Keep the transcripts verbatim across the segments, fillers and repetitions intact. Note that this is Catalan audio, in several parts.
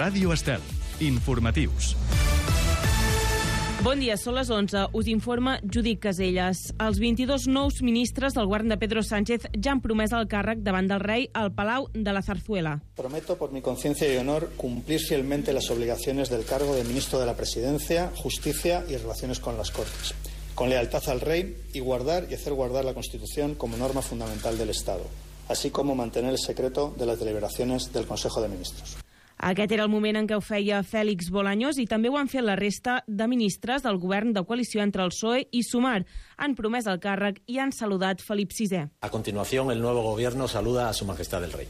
Ràdio Estel. Informatius. Bon dia, són les onze. Us informa Judit Caselles. Els vint-i-dos nous ministres del govern de Pedro Sánchez ja han promès el càrrec davant del rei al Palau de la Zarzuela. Prometo por mi conciencia y honor cumplir fielmente las obligaciones del cargo de ministro de la Presidencia, Justicia y Relaciones con las Cortes, con lealtad al rey y guardar y hacer guardar la Constitución como norma fundamental del Estado, así como mantener el secreto de las deliberaciones del Consejo de Ministros. Aquest era el moment en què ho feia Félix Bolaños i també ho han fet la resta de ministres del govern de coalició entre el P S O E i Sumar. Han promès el càrrec i han saludat Felip sisè. A continuación, el nuevo gobierno saluda a Su Majestad el Rey.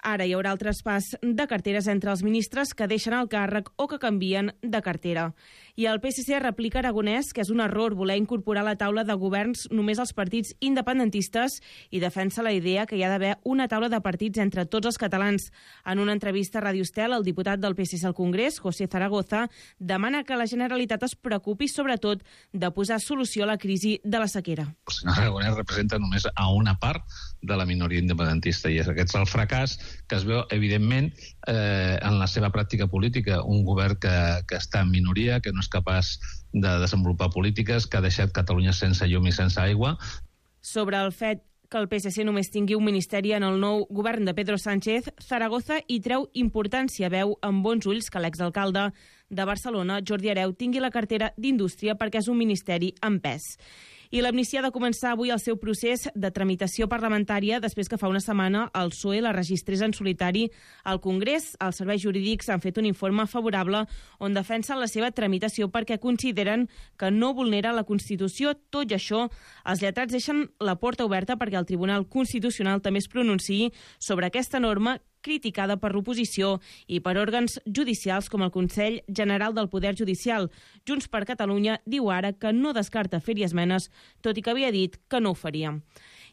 Ara hi haurà el traspàs de carteres entre els ministres que deixen el càrrec o que canvien de cartera. I el P S C replica a Aragonès que és un error voler incorporar a la taula de governs només els partits independentistes i defensa la idea que hi ha d'haver una taula de partits entre tots els catalans. En una entrevista a Ràdio Estel, el diputat del P S C al Congrés, José Zaragoza, demana que la Generalitat es preocupi sobretot de posar solució a la crisi de la sequera. El senyor Aragonès representa només a una part de la minoria independentista i aquest és el fracàs que es veu, evidentment, eh, en la seva pràctica política. Un govern que, que està en minoria, que no és capaç de desenvolupar polítiques, que ha deixat Catalunya sense llum i sense aigua. Sobre el fet que el P S C només tingui un ministeri en el nou govern de Pedro Sánchez, Zaragoza hi treu importància, veu amb bons ulls que l'exalcalde de Barcelona, Jordi Hereu, tingui la cartera d'Indústria perquè és un ministeri en pes. I l'amnistia ha de començar avui el seu procés de tramitació parlamentària després que fa una setmana el P S O E la registrés en solitari al Congrés. Els serveis jurídics han fet un informe favorable on defensen la seva tramitació perquè consideren que no vulnera la Constitució. Tot i això, els lletrats deixen la porta oberta perquè el Tribunal Constitucional també es pronunciï sobre aquesta norma criticada per l'oposició i per òrgans judicials com el Consell General del Poder Judicial. Junts per Catalunya diu ara que no descarta fer-hi esmenes, tot i que havia dit que no ho faria.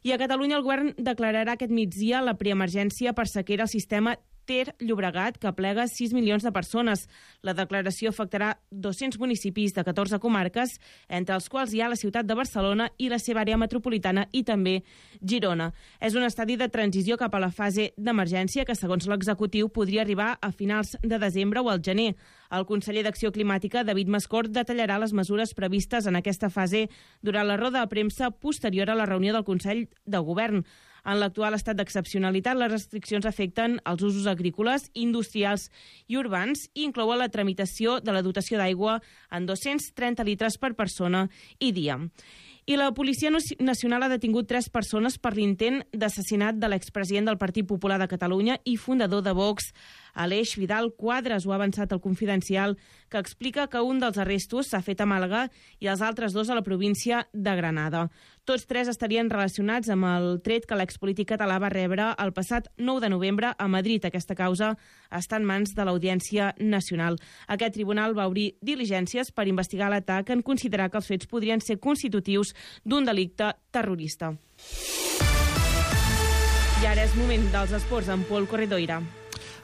I a Catalunya el govern declararà aquest migdia la preemergència per sequera al sistema Ter Llobregat, que aplega sis milions de persones. La declaració afectarà dos-cents municipis de catorze comarques, entre els quals hi ha la ciutat de Barcelona i la seva àrea metropolitana i també Girona. És un estadi de transició cap a la fase d'emergència que, segons l'executiu, podria arribar a finals de desembre o al gener. El conseller d'Acció Climàtica, David Mascort, detallarà les mesures previstes en aquesta fase durant la roda de premsa posterior a la reunió del Consell de Govern. En l'actual estat d'excepcionalitat, les restriccions afecten els usos agrícoles, industrials i urbans i inclouen la tramitació de la dotació d'aigua en dos-cents trenta litres per persona i dia. I la Policia Nacional ha detingut tres persones per l'intent d'assassinat de l'expresident del Partit Popular de Catalunya i fundador de Vox, Aleix Vidal Quadras. Ho ha avançat el Confidencial, que explica que un dels arrestos s'ha fet a Màlaga i els altres dos a la província de Granada. Tots tres estarien relacionats amb el tret que l'expolític català va rebre el passat nou de novembre a Madrid. Aquesta causa està en mans de l'Audiència Nacional. Aquest tribunal va obrir diligències per investigar l'atac en considerar que els fets podrien ser constitutius d'un delicte terrorista. I ara és moment dels esports amb Pol Corredoira.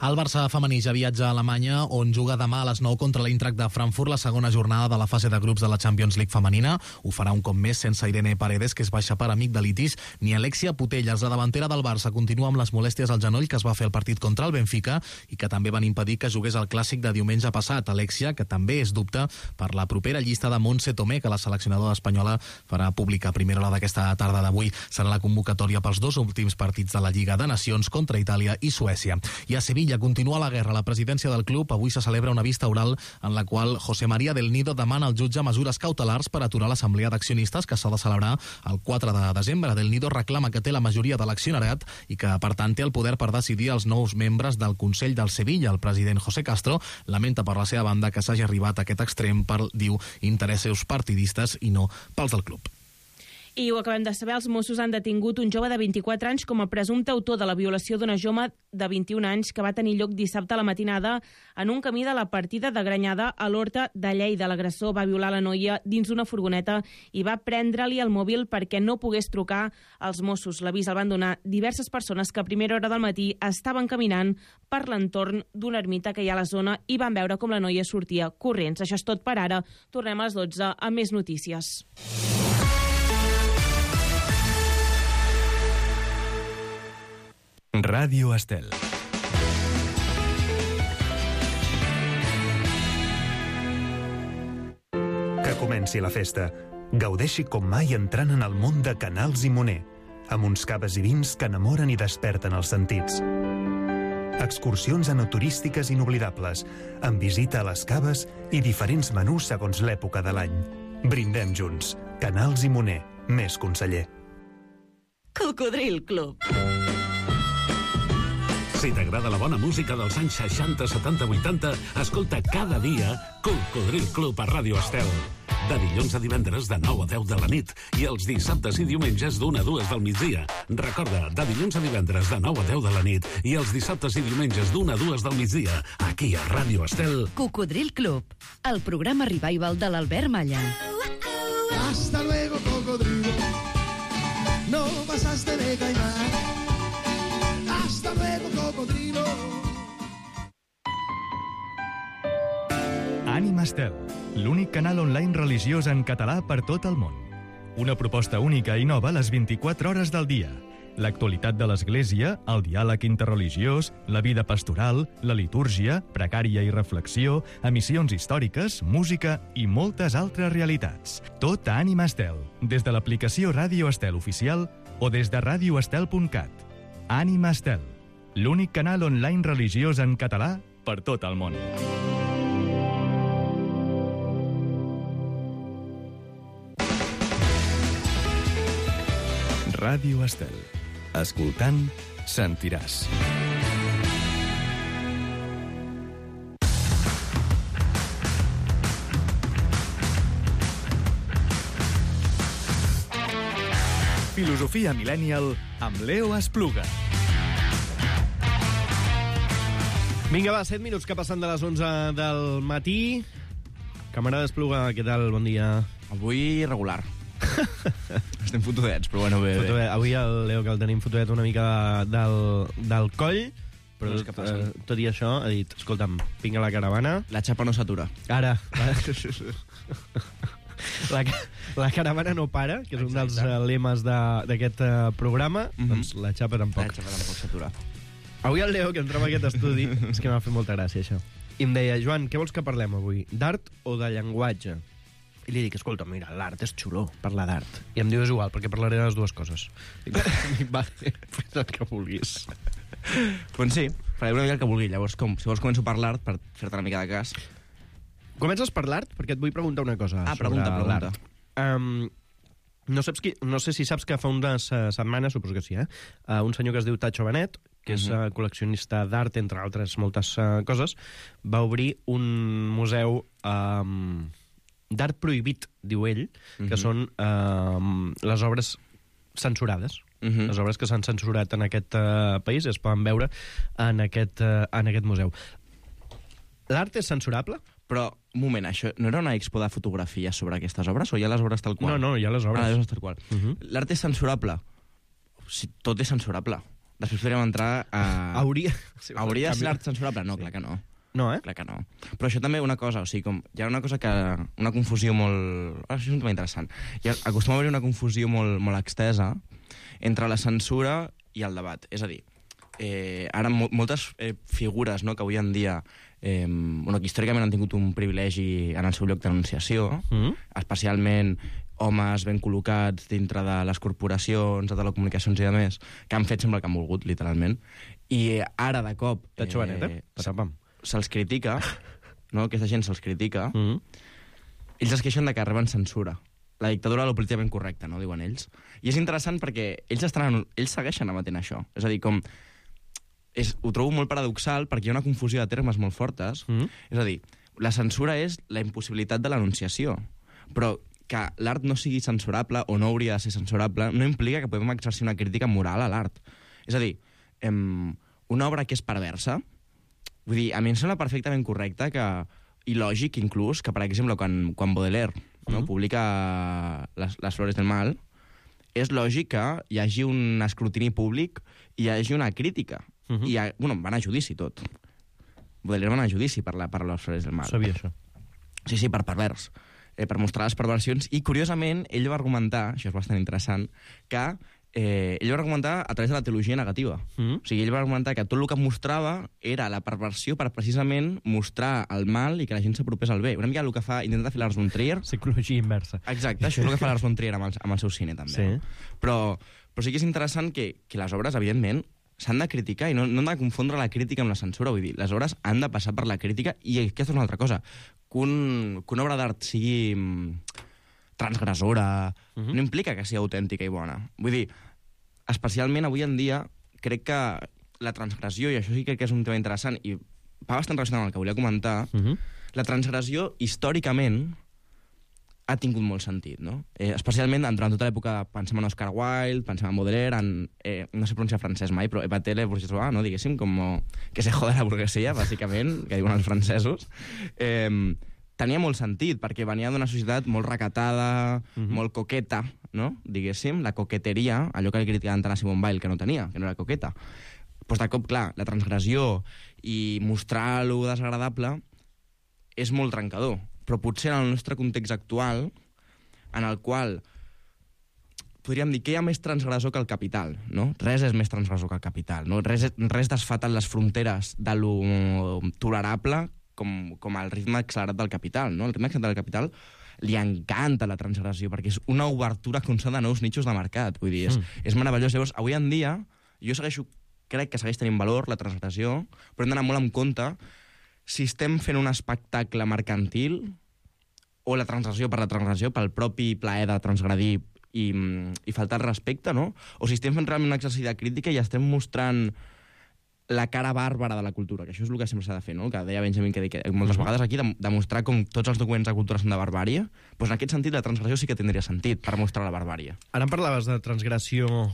El Barça femení ja viatja a Alemanya, on juga demà a les nou contra l'Eintracht de Frankfurt la segona jornada de la fase de grups de la Champions League femenina. Ho farà un cop més sense Irene Paredes, que és baixa per amigdalitis, ni Alexia Putellas. La davantera del Barça continua amb les molèsties al genoll que es va fer el partit contra el Benfica i que també van impedir que jugués el clàssic de diumenge passat. Alexia, que també és dubte per la propera llista de Montse Tomé, que la seleccionadora espanyola farà pública a primera hora d'aquesta tarda d'avui. Serà la convocatòria pels dos últims partits de la Lliga de Nacions contra Itàlia i Suècia. I a Sevilla continua la guerra a la presidència del club. Avui se celebra una vista oral en la qual José María del Nido demana al jutge mesures cautelars per aturar l'assemblea d'accionistes que s'ha de celebrar el quatre de desembre. Del Nido reclama que té la majoria de l'accionariat i que, per tant, té el poder per decidir els nous membres del Consell del Sevilla. El president José Castro lamenta per la seva banda que s'hagi arribat a aquest extrem per, diu, interessos partidistes i no pels del club. I ho acabem de saber, els Mossos han detingut un jove de vint-i-quatre anys com a presumpte autor de la violació d'una jove de vint-i-un anys que va tenir lloc dissabte a la matinada en un camí de la partida de Granyada a l'Horta de Lleida. L'agressor va violar la noia dins d'una furgoneta i va prendre-li el mòbil perquè no pogués trucar als Mossos. L'avís el van donar diverses persones que a primera hora del matí estaven caminant per l'entorn d'una ermita que hi ha a la zona i van veure com la noia sortia corrents. Això és tot per ara. Tornem a les dotze amb més notícies. Ràdio Estel. comenci la festa. Gaudeixi com mai entrant en el món de Canals i Moner, amb uns caves i vins que enamoren i desperten els sentits. Excursions enoturístiques inoblidables, amb visita a les caves i diferents menús segons l'època de l'any. Brindem junts. Canals i Moner. Més conseller. Cocodril Club. Si t'agrada la bona música dels anys seixanta, setanta, vuitanta, escolta cada dia Cocodril Club a Ràdio Estel. De dilluns a divendres de nou a deu de la nit i els dissabtes i diumenges d'una a dues del migdia. Recorda, de dilluns a divendres de nou a deu de la nit i els dissabtes i diumenges d'una a dues del migdia, aquí a Ràdio Estel. Cocodril Club, el programa revival de l'Albert Malla. Hasta luego, cocodrilo. No pasaste de caimán. Hasta luego, cocodrilo. Ànima Estel, l'únic canal online religiós en català per tot el món. Una proposta única i nova a les vint-i-quatre hores del dia. L'actualitat de l'Església, el diàleg interreligiós, la vida pastoral, la litúrgia, pregària i reflexió, emissions històriques, música i moltes altres realitats. Tot a Ànima Estel, des de l'aplicació Ràdio Estel Oficial o des de ràdio estel punt cat. Ànima Estel, l'únic canal online religiós en català per tot el món. Ràdio Estel. Escoltant, sentiràs. Filosofia Millennial amb Leo Espluga. Vinga, va, set minuts que passen de les onze del matí. Camarada Espluga, què tal? Bon dia. Avui regular. Estem fotudets, però bueno, bé, bé. Fotudet. Avui el Leo, que el tenim fotudet una mica del, del coll, però no tot, eh, tot i això ha dit, escolta'm, vinga la caravana. La xapa no s'atura. Ara. La, la caravana no para, que és un dels uh, lemes d'aquest uh, programa, mm-hmm. Doncs la xapa tampoc. La xapa tampoc s'atura. Avui el Leo, que entra en aquest estudi, és que m'ha fet molta gràcia, això. I em deia, Joan, què vols que parlem avui? D'art o de llenguatge? I li dic, escolta, mira, l'art és xulo, parlar d'art. I em diu, és igual, perquè parlaré de les dues coses. Dic, vale, fes el que vulguis. Doncs sí, faré una mica el que vulgui. Llavors, com, si vols començo per l'art, per fer-te una mica de cas. Comences per l'art? Perquè et vull preguntar una cosa ah, sobre pregunta, pregunta. l'art. Um, no, saps qui, no sé si saps que fa unes uh, setmanes, suposo que sí, eh? Uh, un senyor que es diu Tacho Benet, que és uh, col·leccionista d'art, entre altres moltes uh, coses, va obrir un museu um, d'art prohibit, diu ell, que uh-huh. són uh, les obres censurades. Uh-huh. Les obres que s'han censurat en aquest uh, país es poden veure en aquest, uh, en aquest museu. L'art és censurable? Però, un moment, això no era una expo de fotografia sobre aquestes obres o hi ha les obres tal qual? No, no, hi ha les obres. Ah, les obres tal qual. Uh-huh. L'art és censurable? Si tot és censurable. Després podríem entrar a... Hauria... Hauria de ser l'art censurable? No, sí. Clar que no. No, eh? Clar que no. Però això també una cosa, o sigui, com hi ha una cosa que... Una confusió molt... Ah, això és un tema interessant. Hi ha, acostuma a haver una confusió molt, molt extesa entre la censura i el debat. És a dir, eh, ara mo moltes eh, figures, no?, que avui en dia... Eh, bueno, que històricament han tingut un privilegi en el seu lloc d'anunciació, mm. especialment homes ben col·locats dintre de les corporacions, de telecomunicacions i de més, que han fet sembla que han volgut, literalment. I ara, de cop... Tacho Benet, eh? Se'ls critica, no? Aquesta gent se'ls critica, mm. ells es queixen de que reben censura. La dictadura de lo políticament correcta, no?, diuen ells. I és interessant perquè ells, estan, ells segueixen emetent això. És a dir, com... És, ho trobo molt paradoxal perquè hi ha una confusió de termes molt fortes. Mm. És a dir, la censura és la impossibilitat de l'anunciació. Però que l'art no sigui censurable o no hauria de ser censurable no implica que podem exercir una crítica moral a l'art. És a dir, em, una obra que és perversa, vull dir, a mi em sembla perfectament correcte que, i lògic inclús, que per exemple quan, quan Baudelaire no, mm. publica les, les Flores del Mal, és lògic que hi hagi un escrutini públic i hi hagi una crítica. Uh -huh. I, bueno, van a judici tot. Baudelaire van a judici per, la, per les Flores del Mal. Sabia això. Sí, sí, per pervers. Eh, per mostrar les perversions. I, curiosament, ell va argumentar, això és bastant interessant, que eh, ell va argumentar a través de la teologia negativa. Mm. O sigui, ell va argumentar que tot el que mostrava era la perversió per precisament mostrar el mal i que la gent s'apropés al bé. Una mica el que fa, intenta fer Lars von Trier. Psicologia inversa. Exacte, això és el que fa Lars von Trier amb el, amb el seu cine, també. Sí. No? Però, però sí que és interessant que, que les obres, evidentment, s'han de criticar i no, no han de confondre la crítica amb la censura. Vull dir, les obres han de passar per la crítica i aquesta és una altra cosa. Que, un, que una obra d'art sigui transgressora uh-huh. no implica que sigui autèntica i bona. Vull dir, especialment avui en dia, crec que la transgressió, i això sí que crec que és un tema interessant, i va bastant relacionat amb el que volia comentar, uh-huh. la transgressió, històricament, ha tingut molt sentit, no? Eh, especialment durant tota l'època, pensem en Oscar Wilde, pensem en Baudelaire, en, eh, no sé pronunciar francès mai, però Epaté le bourgeois, no? Diguéssim, com que se joda la burguesia, bàsicament, que diuen els francesos. Eh, tenia molt sentit, perquè venia d'una societat molt recatada, uh-huh. molt coqueta, no? Diguéssim, la coqueteria, allò que li criticaven tant a Simone Weil, que no tenia, que no era coqueta. Pues de cop, clar, la transgressió i mostrar lo desagradable és molt trencador. Però potser en el nostre context actual, en el qual podríem dir que hi ha més transgressor que el capital, no? Res és més transgressor que el capital, no? Res, res desfà tant les fronteres de lo tolerable com, com el ritme accelerat del capital, no? El ritme accelerat del capital li encanta la transgressió, perquè és una obertura constant de nous nichos de mercat. Vull dir, és, mm. és meravellós. Llavors, avui en dia, jo segueixo, crec que segueix tenint valor la transgressió, però hem d'anar molt en compte si estem fent un espectacle mercantil o la transgressió per la transgressió, pel propi plaer de transgredir i, i faltar el respecte, no? O si estem fent realment un exercici de crítica i estem mostrant la cara bàrbara de la cultura, que això és el que sempre s'ha de fer, no? Que deia Benjamin que, que moltes vegades aquí, demostrar com tots els documents de cultura són de barbària, doncs en aquest sentit la transgressió sí que tindria sentit per mostrar la barbària. Ara em parlaves de transgressió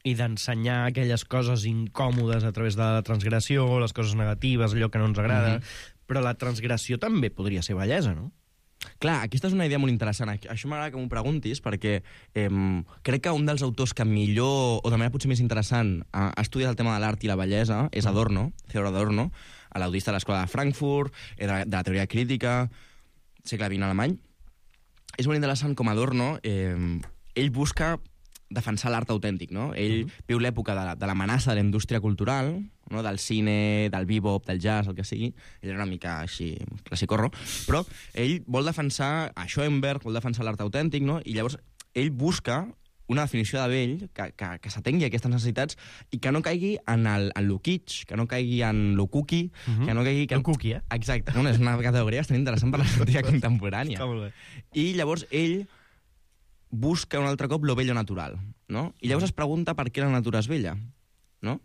i d'ensenyar aquelles coses incòmodes a través de la transgressió, les coses negatives, allò que no ens agrada, mm-hmm. però la transgressió també podria ser bellesa, no? Clar, aquesta és una idea molt interessant. Això m'agrada que m'ho preguntis, perquè eh, crec que un dels autors que millor, o de manera potser més interessant, ha, ha estudiat el tema de l'art i la bellesa és Adorno, Theodor Adorno, l'audista de l'Escola de Frankfurt, de la, de la teoria crítica, segle vint alemany. És molt interessant com Adorno, eh, ell busca defensar l'art autèntic, no? Ell uh-huh. viu l'època de, la, de l'amenaça de la indústria cultural, no? Del cine, del bebop, del jazz, el que sigui. Ell era una mica així, classicorro, però ell vol defensar a Schoenberg, vol defensar l'art autèntic, no? I llavors ell busca una definició de vell que, que, que s'atengui a aquestes necessitats i que no caigui en, el, en lo kitsch, que no caigui en lo cookie, uh-huh. que no caigui... Que... El cookie, eh? Exacte. No, és una categoria bastant interessant per l'estètica contemporània. Està molt bé. I llavors ell busca un altre cop lo bello natural, no? I llavors es pregunta per què la natura és bella, no?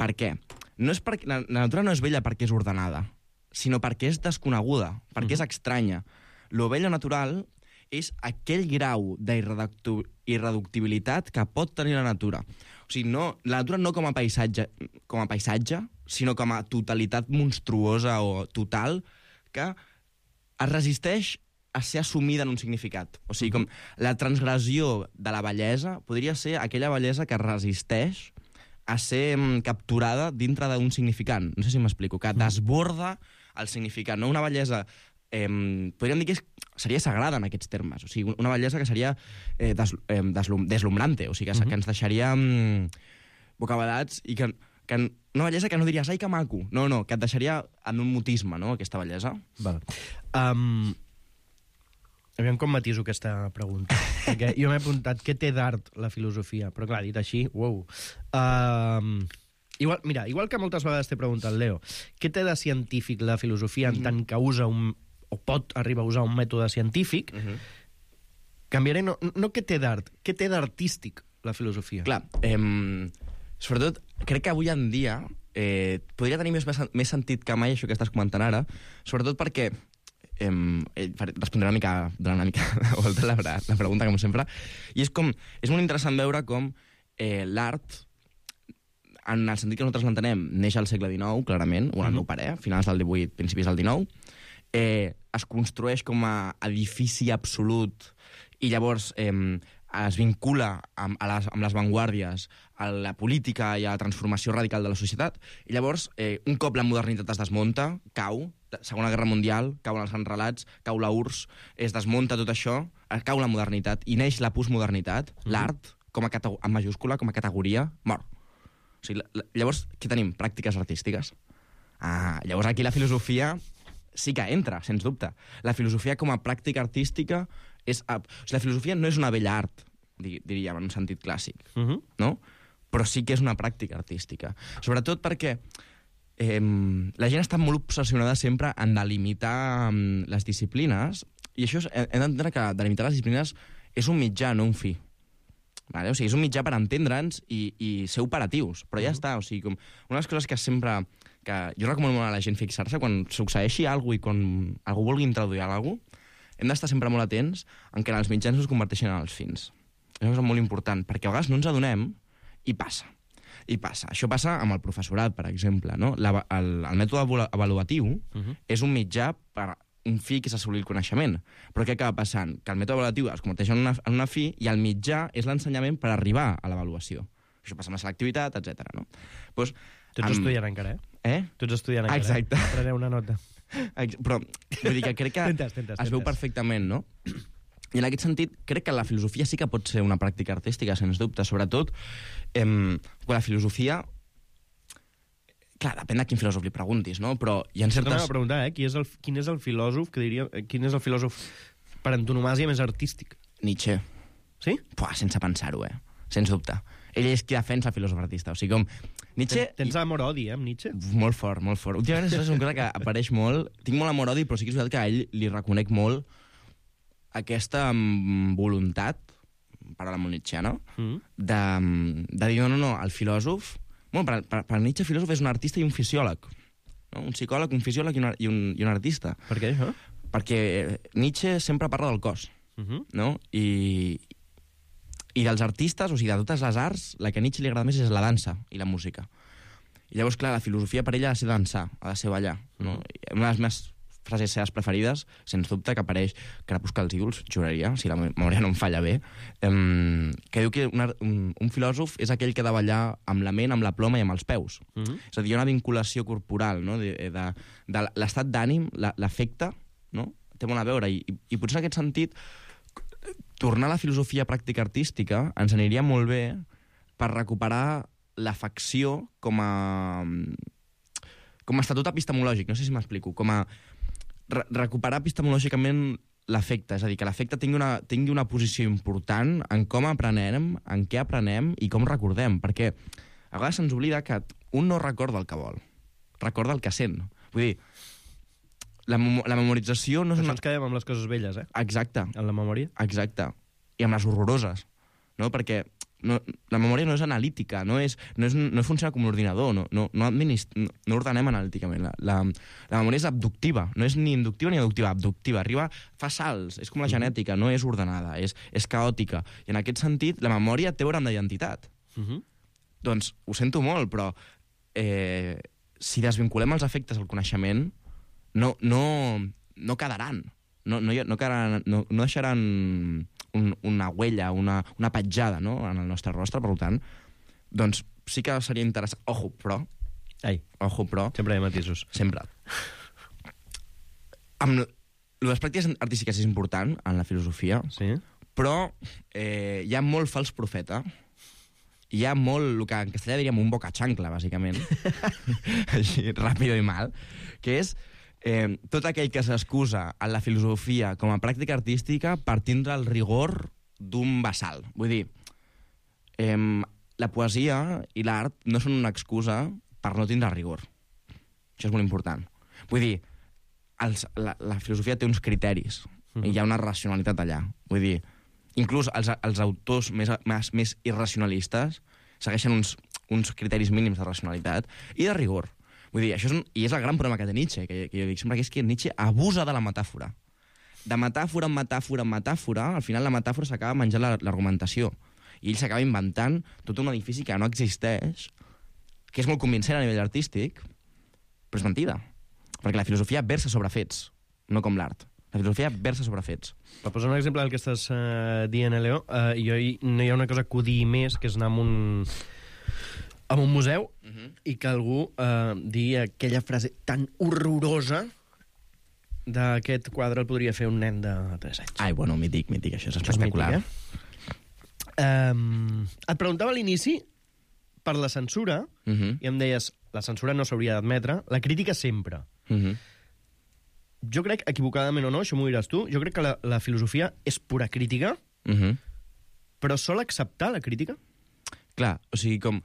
Per què? No és perquè, la, la natura no és bella perquè és ordenada, sinó perquè és desconeguda, perquè mm-hmm. és estranya. Lo bello natural és aquell grau d'irreductibilitat que pot tenir la natura. O sigui, no, la natura no com a paisatge, com a paisatge, sinó com a totalitat monstruosa o total que es resisteix a ser assumida en un significat. O sigui, com la transgressió de la bellesa podria ser aquella bellesa que resisteix a ser mm, capturada dintre d'un significant. No sé si m'explico, que desborda el significat. No una bellesa... Eh, podríem dir que és, seria sagrada en aquests termes. O sigui, una bellesa que seria eh, des, eh, deslum, deslumbrante, o sigui, que, uh-huh. que ens deixaria mm, bocabadats i que, que una bellesa que no diries, ai, que maco. No, no, que et deixaria en un mutisme, no?, aquesta bellesa. Val. Um... Aviam com matiso aquesta pregunta. Perquè jo m'he apuntat què té d'art la filosofia, però clar, dit així, uau. Uh, igual, mira, igual que moltes vegades t'he preguntat, Leo, què té de científic la filosofia en tant que usa un, o pot arribar a usar un mètode científic? Uh-huh. Canviaré, no, no què té d'art, què té d'artístic la filosofia? Clar, eh, sobretot, crec que avui en dia eh, podria tenir més, més sentit que mai això que estàs comentant ara, sobretot perquè Eh, respondré una mica, una mica de volta la, la pregunta, com sempre, i és com, és molt interessant veure com eh, l'art, en el sentit que nosaltres l'entenem, neix al segle dinou, clarament, o en el meu parer, finals del divuit, principis del dinou, eh, es construeix com a edifici absolut, i llavors eh, es vincula amb, a les, amb les vanguardies, a la política i a la transformació radical de la societat, i llavors, eh, un cop la modernitat es desmunta, cau, Segona Guerra Mundial, cauen els grans relats, cau la U R S S, es desmunta tot això, cau la modernitat, i neix la postmodernitat, mm-hmm. l'art, com a categ- en majúscula, com a categoria, mor. O sigui, la, la, llavors, què tenim? Pràctiques artístiques. Ah, llavors aquí la filosofia sí que entra, sens dubte. La filosofia com a pràctica artística és... O sigui, la filosofia no és una bella art, diríem, en un sentit clàssic, uh-huh. no? Però sí que és una pràctica artística. Sobretot perquè eh, la gent està molt obsessionada sempre en delimitar um, les disciplines, i això és, hem d'entendre que delimitar les disciplines és un mitjà, no un fi. Vale? O sigui, és un mitjà per entendre'ns i, i ser operatius, però ja uh-huh. està. O sigui, com una de les coses que sempre... que jo recomano molt a la gent fixar-se quan succeeixi alguna cosa i quan algú vulgui introduir alguna cosa, hem d'estar sempre molt atents en què els mitjans no es converteixen en els fins. Això és molt important, perquè a vegades no ens adonem i passa. I passa. Això passa amb el professorat, per exemple. No? La, el, el mètode avaluatiu uh-huh. és un mitjà per un fi que és assolir el coneixement. Però què acaba passant? Que el mètode avaluatiu es converteix en una, en una fi i el mitjà és l'ensenyament per arribar a l'avaluació. Això passa amb la selectivitat, etcètera. No? Pues, tu ets amb... estudiant encara, eh? Eh? Tu ets estudiant encara. Exacte. Eh? Preneu una nota. Però vull dir que crec que tentes, tentes, es veu tentes. perfectament, no? I en aquest sentit, crec que la filosofia sí que pot ser una pràctica artística, sens dubte. Sobretot, eh, quan la filosofia... Clar, depèn de quin filòsof li preguntis, no? Però hi ha certes... Tornem a preguntar, eh? Qui és el, quin és el filòsof que diria... Quin és el filòsof per antonomàsia més artístic? Nietzsche. Sí? Pua, sense pensar-ho, eh? Sens dubte. Ell és qui defensa el filòsof artista. O sigui, com... Nietzsche... Tens amor-odi, eh, amb Nietzsche? Molt fort, molt fort. Últimament això és una cosa que apareix molt. Tinc molt amor-odi, però sí que és veritat que a ell li reconec molt aquesta um, voluntat, paraula molt nietzscheana, mm. de, de dir, no, no, no, el filòsof... Bueno, per, per, per Nietzsche, el filòsof és un artista i un fisiòleg. No? Un psicòleg, un fisiòleg i un, i un, i un artista. Per què, això? Perquè Nietzsche sempre parla del cos, mm-hmm. no? I... I dels artistes, o sigui, de totes les arts, la que a Nietzsche li agrada més és la dansa i la música. I llavors, clar, la filosofia per ella ha de ser dansar, ha de ser ballar. No? Una de les meves frases seves preferides, sens dubte, que apareix Crepuscle als ídols, juraria, si la memòria no em falla bé, um, que diu que una, un, un filòsof és aquell que ha de ballar amb la ment, amb la ploma i amb els peus. Mm-hmm. És a dir, hi ha una vinculació corporal, no? de, de, de l'estat d'ànim, l'afecte, no? Té molt a veure, i, i, i potser en aquest sentit tornar a la filosofia pràctica artística ens aniria molt bé per recuperar l'afecció com a com a estatut epistemològic, no sé si m'explico, com a re recuperar epistemològicament l'afecte, és a dir, que l'afecte tingui una, tingui una posició important en com aprenem, en què aprenem i com recordem, perquè a vegades se'ns oblida que un no recorda el que vol, recorda el que sent. Vull dir, La, mem la memorització no és una... Això ens quedem amb les coses velles, eh? Exacte. En la memòria? Exacte. I amb les horroroses, no? Perquè no, la memòria no és analítica, no, és, no, és, no funciona com un ordinador, no, no, no, no, no ordenem analíticament. La, la, la memòria és abductiva, no és ni inductiva ni adductiva, abductiva. Arriba, fa salts, és com la genètica, no és ordenada, és, és caòtica. I en aquest sentit, la memòria té a veure amb la identitat. Uh-huh. Doncs ho sento molt, però eh, si desvinculem els efectes al coneixement, no, no, no quedaran. No, no, no, quedaran, no, no deixaran un, una huella, una, una petjada, no?, en el nostre rostre, per tant, doncs sí que seria interessant. Ojo, però... Ai. Ojo, però... Sempre hi ha matisos. Sempre. Amb les pràctiques artístiques és important en la filosofia, sí, però eh, hi ha molt fals profeta. Hi ha molt, el que en castellà diríem un bocachancla, bàsicament, així, ràpido i mal, que és eh, tot aquell que s'excusa en la filosofia com a pràctica artística per tindre el rigor d'un basal. Vull dir, eh, la poesia i l'art no són una excusa per no tindre rigor. Això és molt important. Vull dir, els, la, la filosofia té uns criteris, mm-hmm. i hi ha una racionalitat allà. Vull dir, inclús els, els autors més, més, més irracionalistes segueixen uns, uns criteris mínims de racionalitat i de rigor. Vull dir, això és un, i és el gran problema que té Nietzsche, que, que jo dic sempre, que és que Nietzsche abusa de la metàfora. De metàfora en metàfora en metàfora, al final la metàfora s'acaba menjant l'argumentació. I ell s'acaba inventant tot un edifici que no existeix, que és molt convincent a nivell artístic, però és mentida. Perquè la filosofia versa sobre fets, no com l'art. La filosofia versa sobre fets. Per posar un exemple del que estàs uh, dient, Leo, uh, jo hi, no hi ha una cosa que odio més, que és anar a un, a un museu uh -huh. i que algú uh, digui aquella frase tan horrorosa d'aquest quadre el podria fer un nen de tres anys. Ai, bueno, mític, mític, això és espectacular. Mític, eh? um, et preguntava a l'inici per la censura, uh -huh. i em deies, la censura no s'hauria d'admetre, la crítica sempre. Uh -huh. Jo crec, equivocadament o no, això m'ho diràs tu, jo crec que la, la filosofia és pura crítica, uh -huh. però sol acceptar la crítica? Clar, o sigui, com...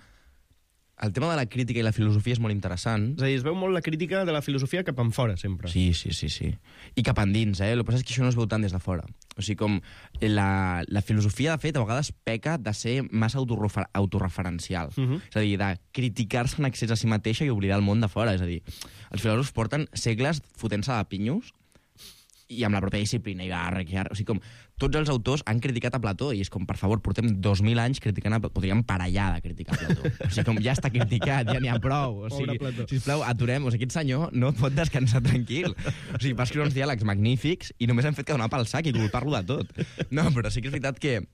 El tema de la crítica i la filosofia és molt interessant. És a dir, es veu molt la crítica de la filosofia cap en fora, sempre. Sí, sí, sí, sí. I cap endins, eh? El que passa és que això no es veu tant des de fora. O sigui, com la, la filosofia, de fet, a vegades peca de ser massa autorrefer autorreferencial. Uh -huh. És a dir, de criticar-se en accés a si mateixa i oblidar el món de fora. És a dir, els filòsofs porten segles fotent-se de pinyos i amb la pròpia disciplina i va arrequiar. O sigui, com tots els autors han criticat a Plató i és com, per favor, portem dos mil anys criticant a Plató. Podríem parar ja de criticar a Plató. O sigui, com ja està criticat, ja n'hi ha prou. O sigui, sisplau, aturem. O sigui, aquest senyor no pot descansar tranquil. O sigui, va escriure uns diàlegs magnífics i només han fet que donar pel sac i culpar-lo de tot. No, però sí que és veritat que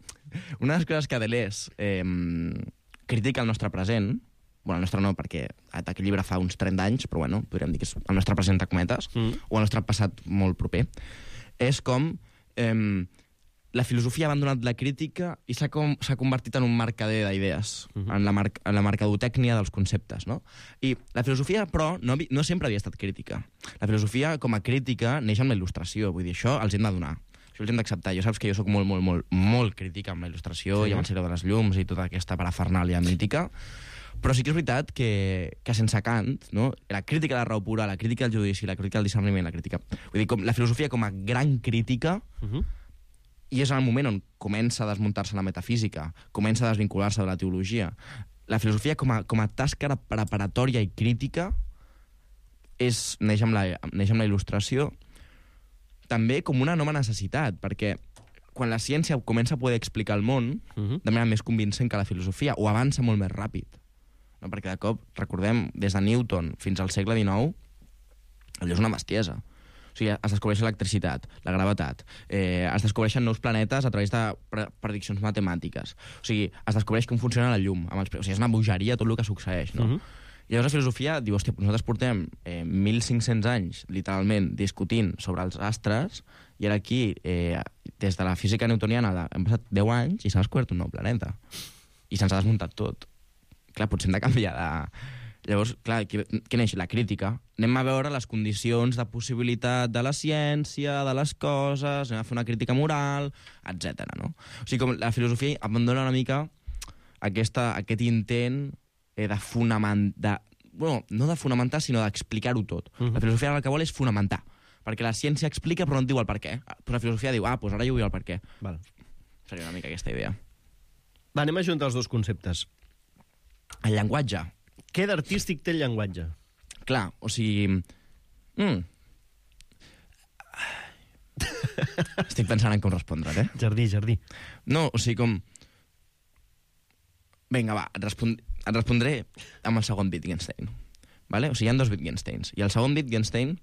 una de les coses que Deleuze eh, critica al nostre present, bueno, el nostre no, perquè aquest llibre fa uns trenta anys, però bueno, podríem dir que és el nostre present de cometes, mm. o el nostre passat molt proper, és com eh, la filosofia ha abandonat la crítica i s'ha convertit en un mercader d'idees, uh -huh. en, la mar en la mercadotècnia dels conceptes, no? I la filosofia, però, no, no sempre havia estat crítica. La filosofia, com a crítica, neix amb la il·lustració, vull dir, això els hem de donar. Això els hem d'acceptar. Jo saps que jo sóc molt, molt, molt, molt crítica amb la il·lustració, sí. i amb el cicle de les llums i tota aquesta parafernàlia mítica, però sí que és veritat que, que sense Kant, no? La crítica de la raó pura, la crítica del judici, la crítica del discerniment, la crítica... Vull dir, com la filosofia com a gran crítica, uh -huh. i és en el moment on comença a desmuntar-se la metafísica, comença a desvincular-se de la teologia. La filosofia com a, com a tasca preparatòria i crítica és, neix, amb la, neix amb la il·lustració, també com una nova necessitat, perquè quan la ciència comença a poder explicar el món uh -huh. de manera més convincent que la filosofia, o avança molt més ràpid. No? Perquè de cop, recordem, des de Newton fins al segle dinou, allò és una bestiesa. O sigui, es descobreix l'electricitat, la gravetat, eh, es descobreixen nous planetes a través de pre prediccions matemàtiques. O sigui, es descobreix com funciona la llum. Amb els... O sigui, és una bogeria tot el que succeeix, no? Uh -huh. I llavors la filosofia diu, hòstia, nosaltres portem eh, mil cinc-cents anys, literalment, discutint sobre els astres, i ara aquí, eh, des de la física newtoniana, hem passat deu anys i s'ha descobert un nou planeta. I se'ns ha desmuntat tot. Clar, potser hem de canviar de... Llavors, clar, què neix? La crítica. Anem a veure les condicions de possibilitat de la ciència, de les coses, anem a fer una crítica moral, etcètera. No? O sigui, com la filosofia abandona una mica aquesta, aquest intent eh, de fonamentar... Bueno, no de fonamentar, sinó d'explicar-ho tot. Uh -huh. La filosofia el que vol és fonamentar, perquè la ciència explica però no et diu el per què. Però la filosofia diu, ah, doncs ara jo vull el per què. Val. Seria una mica aquesta idea. Va, anem a juntar els dos conceptes. El llenguatge. Què d'artístic té el llenguatge? Clar, o sigui... Mm. Estic pensant en com respondre, eh? Jardí, jardí. No, o sigui, com... Vinga, va, et, respon... et respondré amb el segon Wittgenstein. Vale? O sigui, hi ha dos Wittgensteins. I el segon Wittgenstein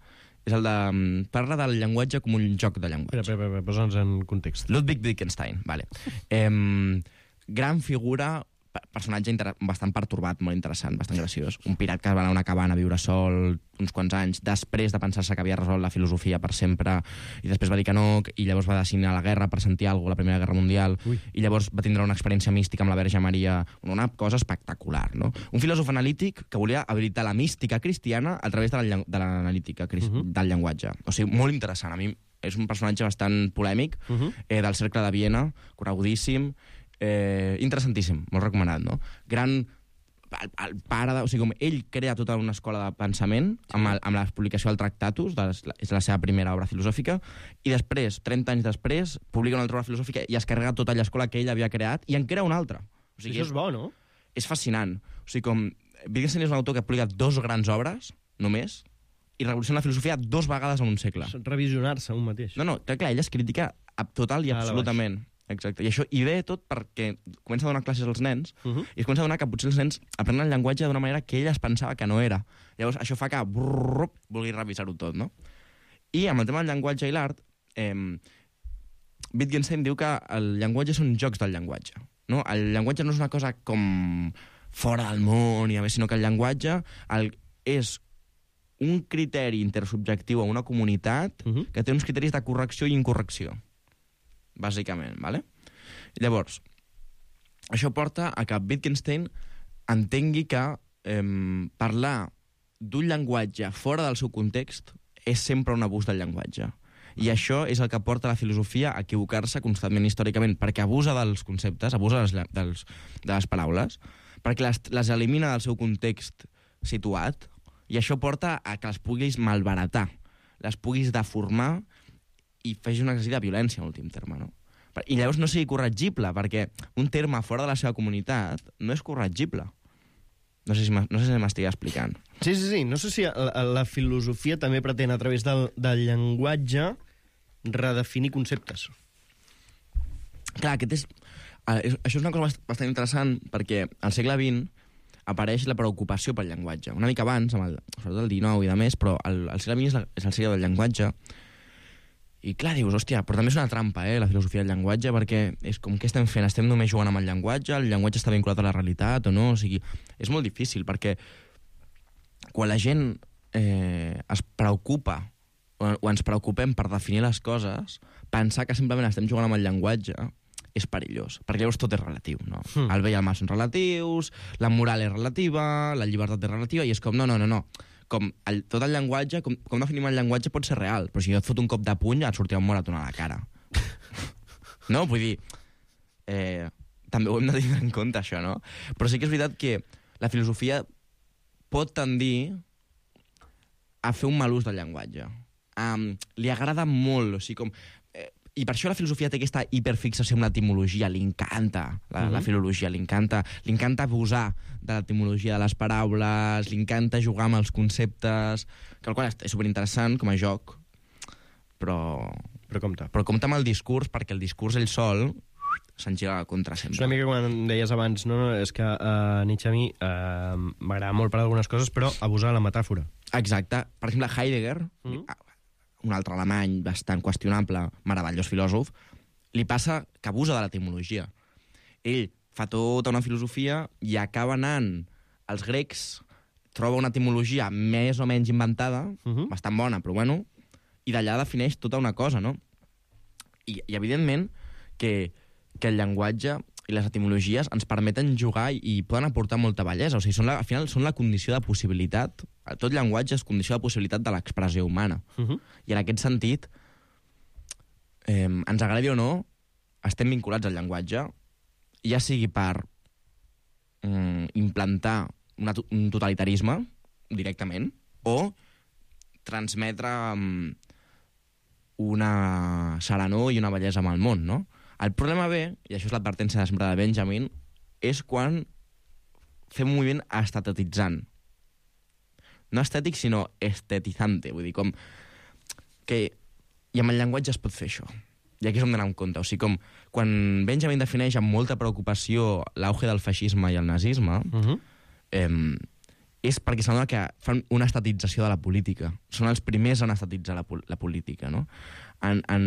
és el de... Parla del llenguatge com un joc de llenguatge. Espera, espera, espera, posa'ns en context. Ludwig Wittgenstein, vale. Eh, gran figura... personatge bastant pertorbat, molt interessant, bastant graciós. Un pirat que va anar a una cabana a viure sol uns quants anys, després de pensar-se que havia resolt la filosofia per sempre, i després va dir que no, i llavors va decidir a la guerra per sentir alguna cosa, la Primera Guerra Mundial, Ui. i llavors va tindre una experiència mística amb la Verge Maria, una cosa espectacular, no? Un filòsof analític que volia habilitar la mística cristiana a través de l'analítica uh -huh. del llenguatge. O sigui, molt interessant. A mi és un personatge bastant polèmic, uh -huh. eh, del Cercle de Viena, conegudíssim, Eh, interessantíssim, molt recomanat, no? Gran... El, el pare de... O sigui, com ell crea tota una escola de pensament sí. amb, el, amb la publicació del Tractatus, de les, és la seva primera obra filosòfica, i després, trenta anys després, publica una altra obra filosòfica i es carrega tota l'escola que ell havia creat i en crea una altra. O sigui, això és, és bo, no? És fascinant. O sigui, com... Wittgenstein és un autor que publica dos grans obres, només, i revoluciona la filosofia dos vegades en un segle. Revisionar-se un mateix. No, no, clar, clar, ell es critica total i absolutament. Exacte, i això i ve tot perquè comença a donar classes als nens uh -huh. i es comença a donar que potser els nens aprenen el llenguatge d'una manera que ell es pensava que no era. Llavors això fa que brrr, vulgui revisar-ho tot, no? I amb el tema del llenguatge i l'art Eh, Wittgenstein diu que el llenguatge són jocs del llenguatge. No? El llenguatge no és una cosa com fora del món, i a més, sinó que el llenguatge el, és un criteri intersubjectiu a una comunitat uh-huh. que té uns criteris de correcció i incorrecció, bàsicament. ¿Vale? Llavors, això porta a que Wittgenstein entengui que eh, parlar d'un llenguatge fora del seu context és sempre un abús del llenguatge. I això és el que porta la filosofia a equivocar-se constantment històricament, perquè abusa dels conceptes, abusa dels, dels, de les paraules, perquè les, les elimina del seu context situat, i això porta a que les puguis malbaratar, les puguis deformar i facis un exercici de violència, en últim terme, no? I llavors no sigui corregible, perquè un terme fora de la seva comunitat no és corregible. No sé si no sé si m'estic explicant. Sí, sí, sí. No sé si la, la filosofia també pretén, a través del, del llenguatge, redefinir conceptes. Clar, aquest és... Això és una cosa bastant interessant, perquè al segle vint apareix la preocupació pel llenguatge. Una mica abans, amb el, sobretot el dinou i de més, però el, el segle vint és, la, és el segle del llenguatge. I clar, dius, hòstia, però també és una trampa, eh, la filosofia del llenguatge, perquè és com, què estem fent? Estem només jugant amb el llenguatge? El llenguatge està vinculat a la realitat o no? O sigui, és molt difícil, perquè quan la gent eh, es preocupa o, o ens preocupem per definir les coses, pensar que simplement estem jugant amb el llenguatge és perillós, perquè llavors tot és relatiu, no? Mm. El bé i el mal són relatius, la moral és relativa, la llibertat és relativa, i és com, no, no, no, no. Com el, tot el llenguatge, com, com definim el llenguatge pot ser real, però si jo et fot un cop de puny et sortirà un moratón a la cara. No? Vull dir, eh, també ho hem de tenir en compte, això, no? Però sí que és veritat que la filosofia pot tendir a fer un mal ús del llenguatge. Um, li agrada molt, o sigui, com... I per això la filosofia té aquesta hiperfixació amb l'etimologia, li encanta la, mm-hmm. la filologia, li encanta, li encanta abusar de l'etimologia de les paraules, li encanta jugar amb els conceptes, que el qual és superinteressant com a joc, però... Però compte. Però compte amb el discurs, perquè el discurs ell sol se'n gira a la contra sempre. És una mica quan deies abans, no, no és que uh, Nietzsche a mi uh, m'agrada molt per algunes coses, però abusar de la metàfora. Exacte. Per exemple, Heidegger... Mm-hmm. Un altre alemany bastant qüestionable, meravellós filòsof, li passa que abusa de l'etimologia. Ell fa tota una filosofia i acaba anant als grecs, troba una etimologia més o menys inventada, uh-huh. bastant bona, però bueno, i d'allà defineix tota una cosa, no? I, i evidentment, que, que el llenguatge i les etimologies ens permeten jugar i, i poden aportar molta bellesa. O sigui, són la, al final són la condició de possibilitat. Tot llenguatge és condició de possibilitat de l'expressió humana. Uh-huh. I en aquest sentit, eh, ens agradi o no, estem vinculats al llenguatge, ja sigui per eh, implantar una, un totalitarisme directament, o transmetre um, una serenor i una bellesa amb el món, no? El problema ve, i això és l'advertència sempre de Benjamin, és quan fem un moviment estetitzant. No estètic, sinó estetitzante. Vull dir, com que... I amb el llenguatge es pot fer això. I aquí és on d'anar en compte. O sigui, com quan Benjamin defineix amb molta preocupació l'auge del feixisme i el nazisme, uh-huh. eh, és perquè sembla que fan una estatització de la política. Són els primers a estatitzar la, la política, no? En, en,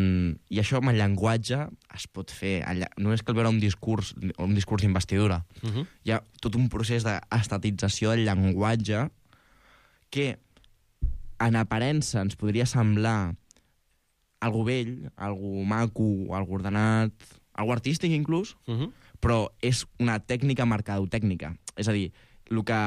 I això amb el llenguatge es pot fer. No és que el veure un discurs un discurs d'investidura. Uh-huh. Hi ha tot un procés d'estatització del llenguatge que en aparença ens podria semblar algo vell, algo maco, algo ordenat, algo artístic inclús, uh-huh. però és una tècnica mercadotècnica. És a dir, el que...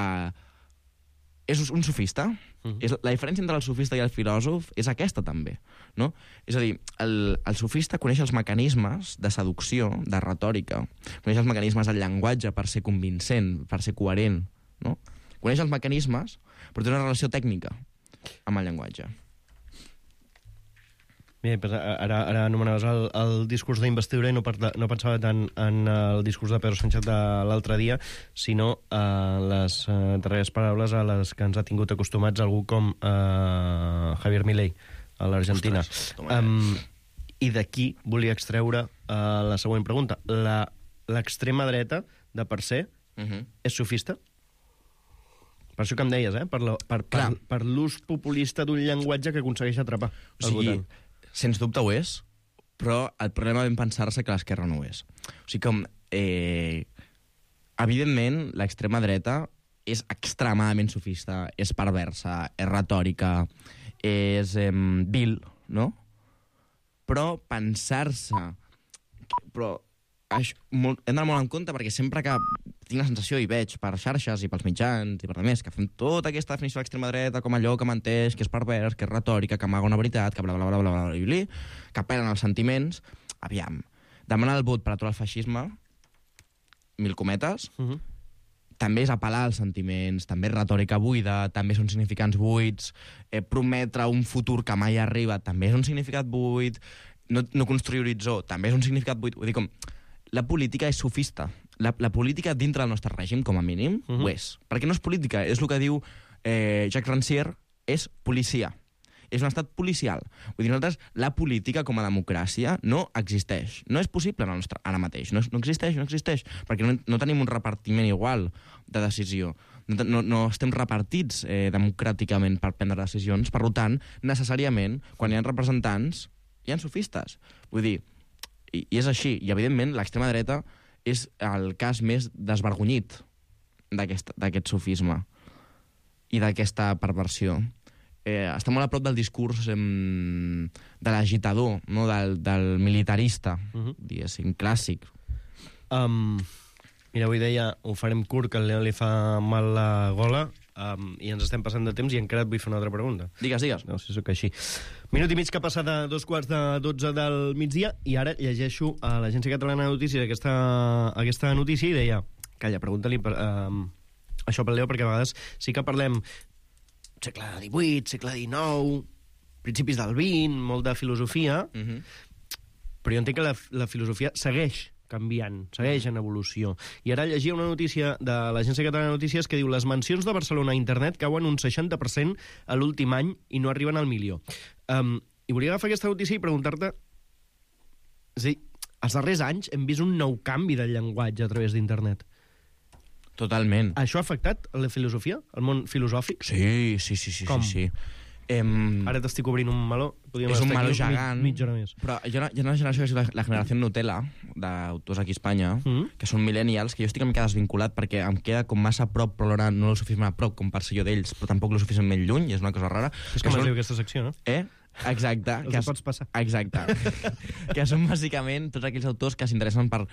És un sofista. Uh-huh. És, la diferència entre el sofista i el filòsof és aquesta, també. No? És a dir, el, el sofista coneix els mecanismes de seducció, de retòrica, coneix els mecanismes del llenguatge per ser convincent, per ser coherent. No? Coneix els mecanismes, però té una relació tècnica amb el llenguatge. Bé, doncs ara, ara anomenaves el, el discurs d'investidura i no, parla, no pensava tant en el discurs de Pedro Sánchez de l'altre dia, sinó en les uh, darreres paraules a les que ens ha tingut acostumats algú com uh, Javier Milei, a l'Argentina. Um, I d'aquí volia extreure uh, la següent pregunta. L'extrema dreta, de per se, uh-huh. és sofista? Per això que em deies, eh? Per l'ús per, per, per populista d'un llenguatge que aconsegueix atrapar el o sigui, votant. Sens dubte ho és, però el problema ben pensar-se que l'esquerra no ho és. O sigui com, eh, evidentment, l'extrema dreta és extremadament sofista, és perversa, és retòrica, és eh, vil, no? Però pensar-se... Però això, molt, hem d'anar molt en compte perquè sempre que tinc la sensació i veig per xarxes i pels mitjans i per demés que fem tota aquesta definició de l'extrema dreta com allò que menteix, que és pervers, que és retòrica, que amaga una veritat, que bla bla bla bla bla bla bla, que apel·len als sentiments, aviam, demanar el vot per aturar el feixisme, mil cometes, uh -huh. també és apel·lar als sentiments, també és retòrica buida, també són significants buits, eh, prometre un futur que mai arriba, també és un significat buit, no, no construir horitzó, també és un significat buit. Vull dir, com, la política és sofista. La, la política dintre del nostre règim, com a mínim, uh -huh. ho és. Perquè no és política, és el que diu eh, Jacques Rancière, és policia. És un estat policial. Vull dir, nosaltres, la política com a democràcia no existeix. No és possible en el nostre, ara mateix. No, és, no existeix, no existeix. Perquè no, no tenim un repartiment igual de decisió. No, no, no estem repartits eh, democràticament per prendre decisions. Per tant, necessàriament, quan hi ha representants, hi ha sofistes. Vull dir, i, i és així. I, evidentment, l'extrema dreta és el cas més desvergonyit d'aquest sofisme i d'aquesta perversió. Eh, està molt a prop del discurs eh, de l'agitador, no? del, del militarista, uh-huh. diguéssim, clàssic. Um, mira, avui deia, ho farem curt, que al León li fa mal la gola, um, i ens estem passant de temps i encara et vull fer una altra pregunta. Digues, digues. No sé si sóc així. Minut i mig que passa de dos quarts de dotze del migdia, i ara llegeixo a l'Agència Catalana de Notícies aquesta, aquesta notícia i deia, calla, pregunta-li per, um, això pel Leo, perquè a vegades sí que parlem segle divuit, segle dinou, principis del vint, molt de filosofia, uh-huh. però jo entenc que la, la filosofia segueix canviant, segueix en evolució. I ara llegia una notícia de l'Agència Catalana de Notícies que diu les mencions de Barcelona a internet cauen un seixanta per cent a l'últim any i no arriben al milió. Um, I volia agafar aquesta notícia i preguntar-te... És a dir, els darrers anys hem vist un nou canvi del llenguatge a través d'internet. Totalment. Això ha afectat la filosofia, el món filosòfic? Sí, sí, sí, sí. Com? sí, sí. Em... Ara t'estic obrint un meló. Podríem és un meló gegant. Mig, mitja hora més. Però hi ha, hi ha una generació que és la, la generació Nutella, d'autors aquí a Espanya, mm. que són millennials, que jo estic una mica desvinculat perquè em queda com massa a prop, però alhora no el suficientment a prop com per ser jo d'ells, però tampoc el suficientment lluny, és una cosa rara. És com es són... diu aquesta secció, no? Eh? Exacte. Els que pots passar. Exacte. Que són bàsicament tots aquells autors que s'interessen per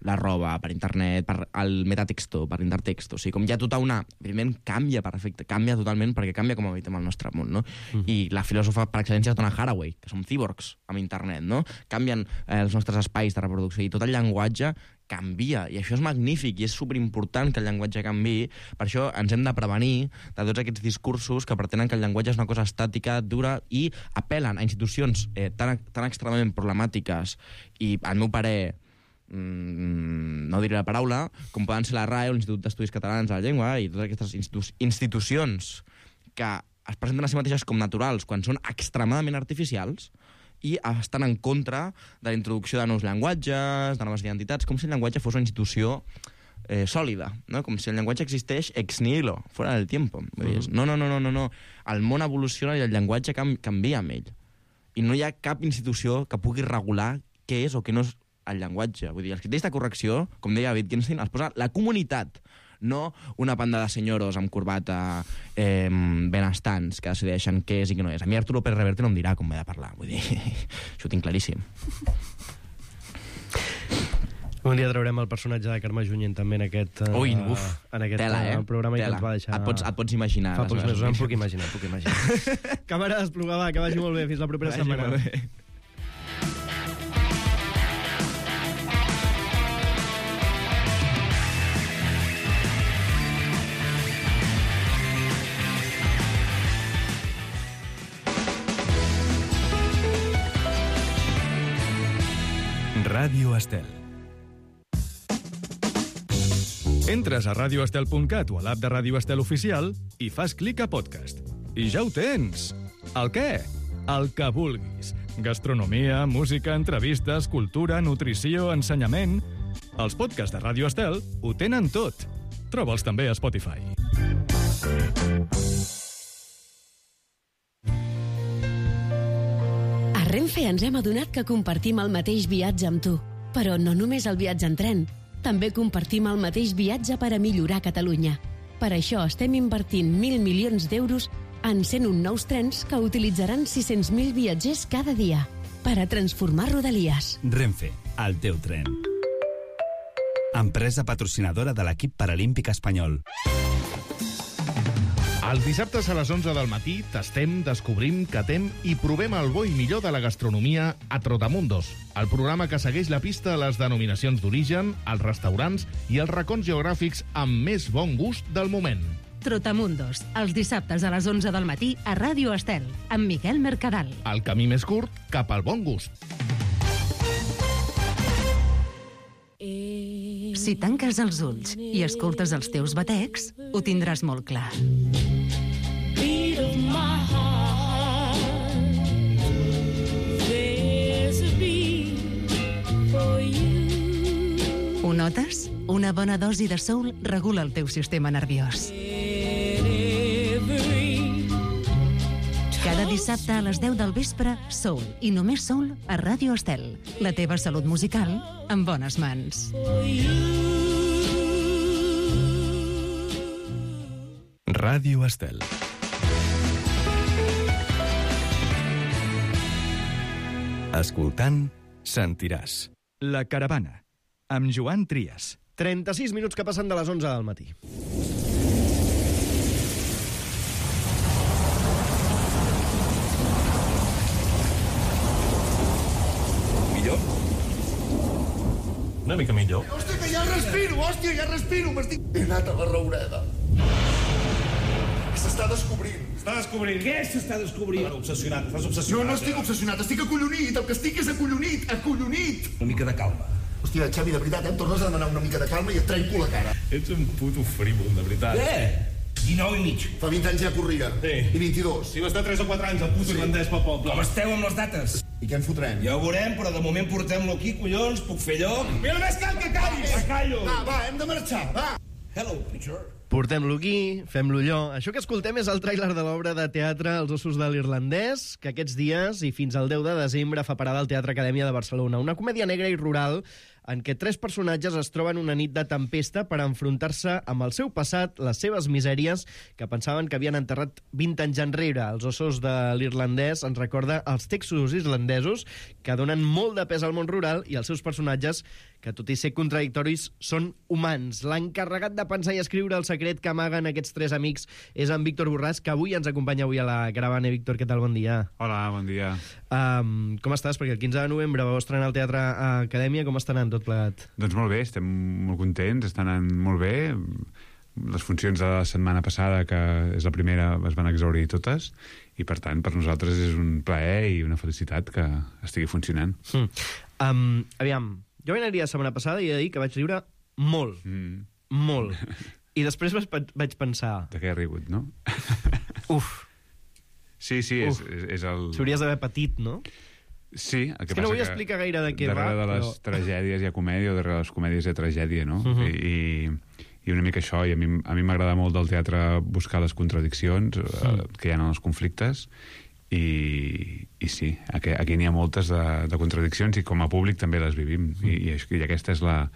la roba, per internet, per el metatexto, per l'intertexto. O sigui, com hi ha tota una... Evidentment, canvia per efecte, canvia totalment perquè canvia com habitem el nostre món, no? Mm. I la filòsofa per excel·lència és Donna Haraway, que som cyborgs amb internet, no? Canvien eh, els nostres espais de reproducció i tot el llenguatge canvia, i això és magnífic i és superimportant que el llenguatge canviï. Per això ens hem de prevenir de tots aquests discursos que pretenen que el llenguatge és una cosa estàtica, dura, i apel·len a institucions eh, tan, tan extremadament problemàtiques i, al meu parer, mmm, no diré la paraula, com poden ser la R A E o l'Institut d'Estudis Catalans de la Llengua i totes aquestes institu institucions que es presenten a si mateixes com naturals quan són extremadament artificials i estan en contra de la introducció de nous llenguatges, de noves identitats, com si el llenguatge fos una institució eh, sòlida, no? Com si el llenguatge existeix ex nihilo, fora del tiempo. Vull dir, no, no, no, no, no, no. El món evoluciona i el llenguatge cam canvia amb ell. I no hi ha cap institució que pugui regular què és o què no és el llenguatge. Vull dir, els criteris de correcció, com deia Wittgenstein, els posa la comunitat, no una banda de senyoros amb corbata eh, benestants que decideixen què és i què no és. A mi Arturo Pérez Reverte no em dirà com m'he de parlar. Vull dir, això ho tinc claríssim. Un dia traurem el personatge de Carme Junyent també en aquest, uh, Ui, uf, en aquest tela, eh? programa tela. I que ens va deixar... Et pots, et pots imaginar. Fa pocs mesos, em puc imaginar, puc imaginar. Càmera desplugada, que vagi molt bé. Fins la propera vagi setmana. Molt bé. Ràdio Estel. Entres a radio estel punt cat o a l'app de Ràdio Estel oficial i fas clic a podcast. I ja ho tens! El què? El que vulguis. Gastronomia, música, entrevistes, cultura, nutrició, ensenyament... Els podcasts de Ràdio Estel ho tenen tot. Troba'ls també a Spotify. A Renfe ens hem adonat que compartim el mateix viatge amb tu. Però no només el viatge en tren, també compartim el mateix viatge per a millorar Catalunya. Per això estem invertint mil milions d'euros en cent un nous trens que utilitzaran sis-cents mil viatgers cada dia per a transformar Rodalies. Renfe, el teu tren. Empresa patrocinadora de l'equip paralímpic espanyol. Els dissabtes a les onze del matí tastem, descobrim, catem i provem el bo i millor de la gastronomia a Trotamundos, el programa que segueix la pista a les denominacions d'origen, els restaurants i els racons geogràfics amb més bon gust del moment. Trotamundos, els dissabtes a les onze del matí a Ràdio Estel, amb Miquel Mercadal. El camí més curt cap al bon gust. Si tanques els ulls i escoltes els teus batecs, ho tindràs molt clar. Ho notes? Una bona dosi de soul regula el teu sistema nerviós. Cada dissabte a les deu del vespre, Soul, i només Soul, a Ràdio Estel. La teva salut musical en bones mans. Ràdio Estel. Escoltant, sentiràs. La Caravana, amb Joan Trias. trenta-sis minuts que passen de les onze del matí. Una mica millor. Hòstia, que ja respiro, hòstia, ja respiro. M'estic... He anat a la Roureda. S'està descobrint. Està descobrint. Què s'està descobrint? Bueno, obsessionat, estàs obsessionat. No, no estic obsessionat, estic acollonit. El que estic és acollonit, acollonit. Una mica de calma. Hòstia, Xavi, de veritat, em tornes a demanar una mica de calma i et trenco la cara. Ets un puto frívol, de veritat. Què? dinou i mig. Fa vint anys ja corria. Sí. I vint-i-dos. Si va estar tres o quatre anys, el puto sí. irlandès pel poble. Com esteu amb les dates? I què en fotrem? Ja ho veurem, però de moment portem-lo aquí, collons, puc fer lloc. Mira, només cal que callis! Va, callo! Va, va, hem de marxar, va! Hello, preacher. Portem-lo aquí, fem-lo allò. Això que escoltem és el tràiler de l'obra de teatre Els ossos de l'irlandès, que aquests dies i fins al deu de desembre fa parada al Teatre Acadèmia de Barcelona. Una comèdia negra i rural en què tres personatges es troben una nit de tempesta per enfrontar-se amb el seu passat, les seves misèries, que pensaven que havien enterrat vint anys enrere. Els ossos de l'irlandès ens recorda els textos islandesos, que donen molt de pes al món rural, i els seus personatges, que tot i ser contradictoris, són humans. L'encarregat de pensar i escriure el secret que amaguen aquests tres amics és en Víctor Borràs, que avui ens acompanya avui a la caravana. Víctor, què tal? Bon dia. Hola, bon dia. Um, com estàs? Perquè el quinze de novembre vau estrenar al Teatre Acadèmia. Com està anant tot plegat? Doncs molt bé, estem molt contents, estan anant molt bé. Les funcions de la setmana passada, que és la primera, es van exaurir totes, i per tant, per nosaltres és un plaer i una felicitat que estigui funcionant. Mm. Um, aviam, jo vaig anar-hi la setmana passada i he de dir que vaig riure molt, mm. molt. I després vaig pensar... De què he rigut, no? Uf. Sí, sí, és, és, és el... S'hauries d'haver patit, no? Sí, el que és que no vull que explicar gaire de què va, darrere de les però... tragèdies hi ha comèdia, o darrere de les comèdies hi ha tragèdia, no? Uh -huh. I, I una mica això, i a mi, a mi m'agrada molt del teatre buscar les contradiccions uh -huh. eh, que hi ha en els conflictes, i, i sí, aquí, aquí n'hi ha moltes de, de contradiccions, i com a públic també les vivim, uh -huh. I, i, i aquesta és la,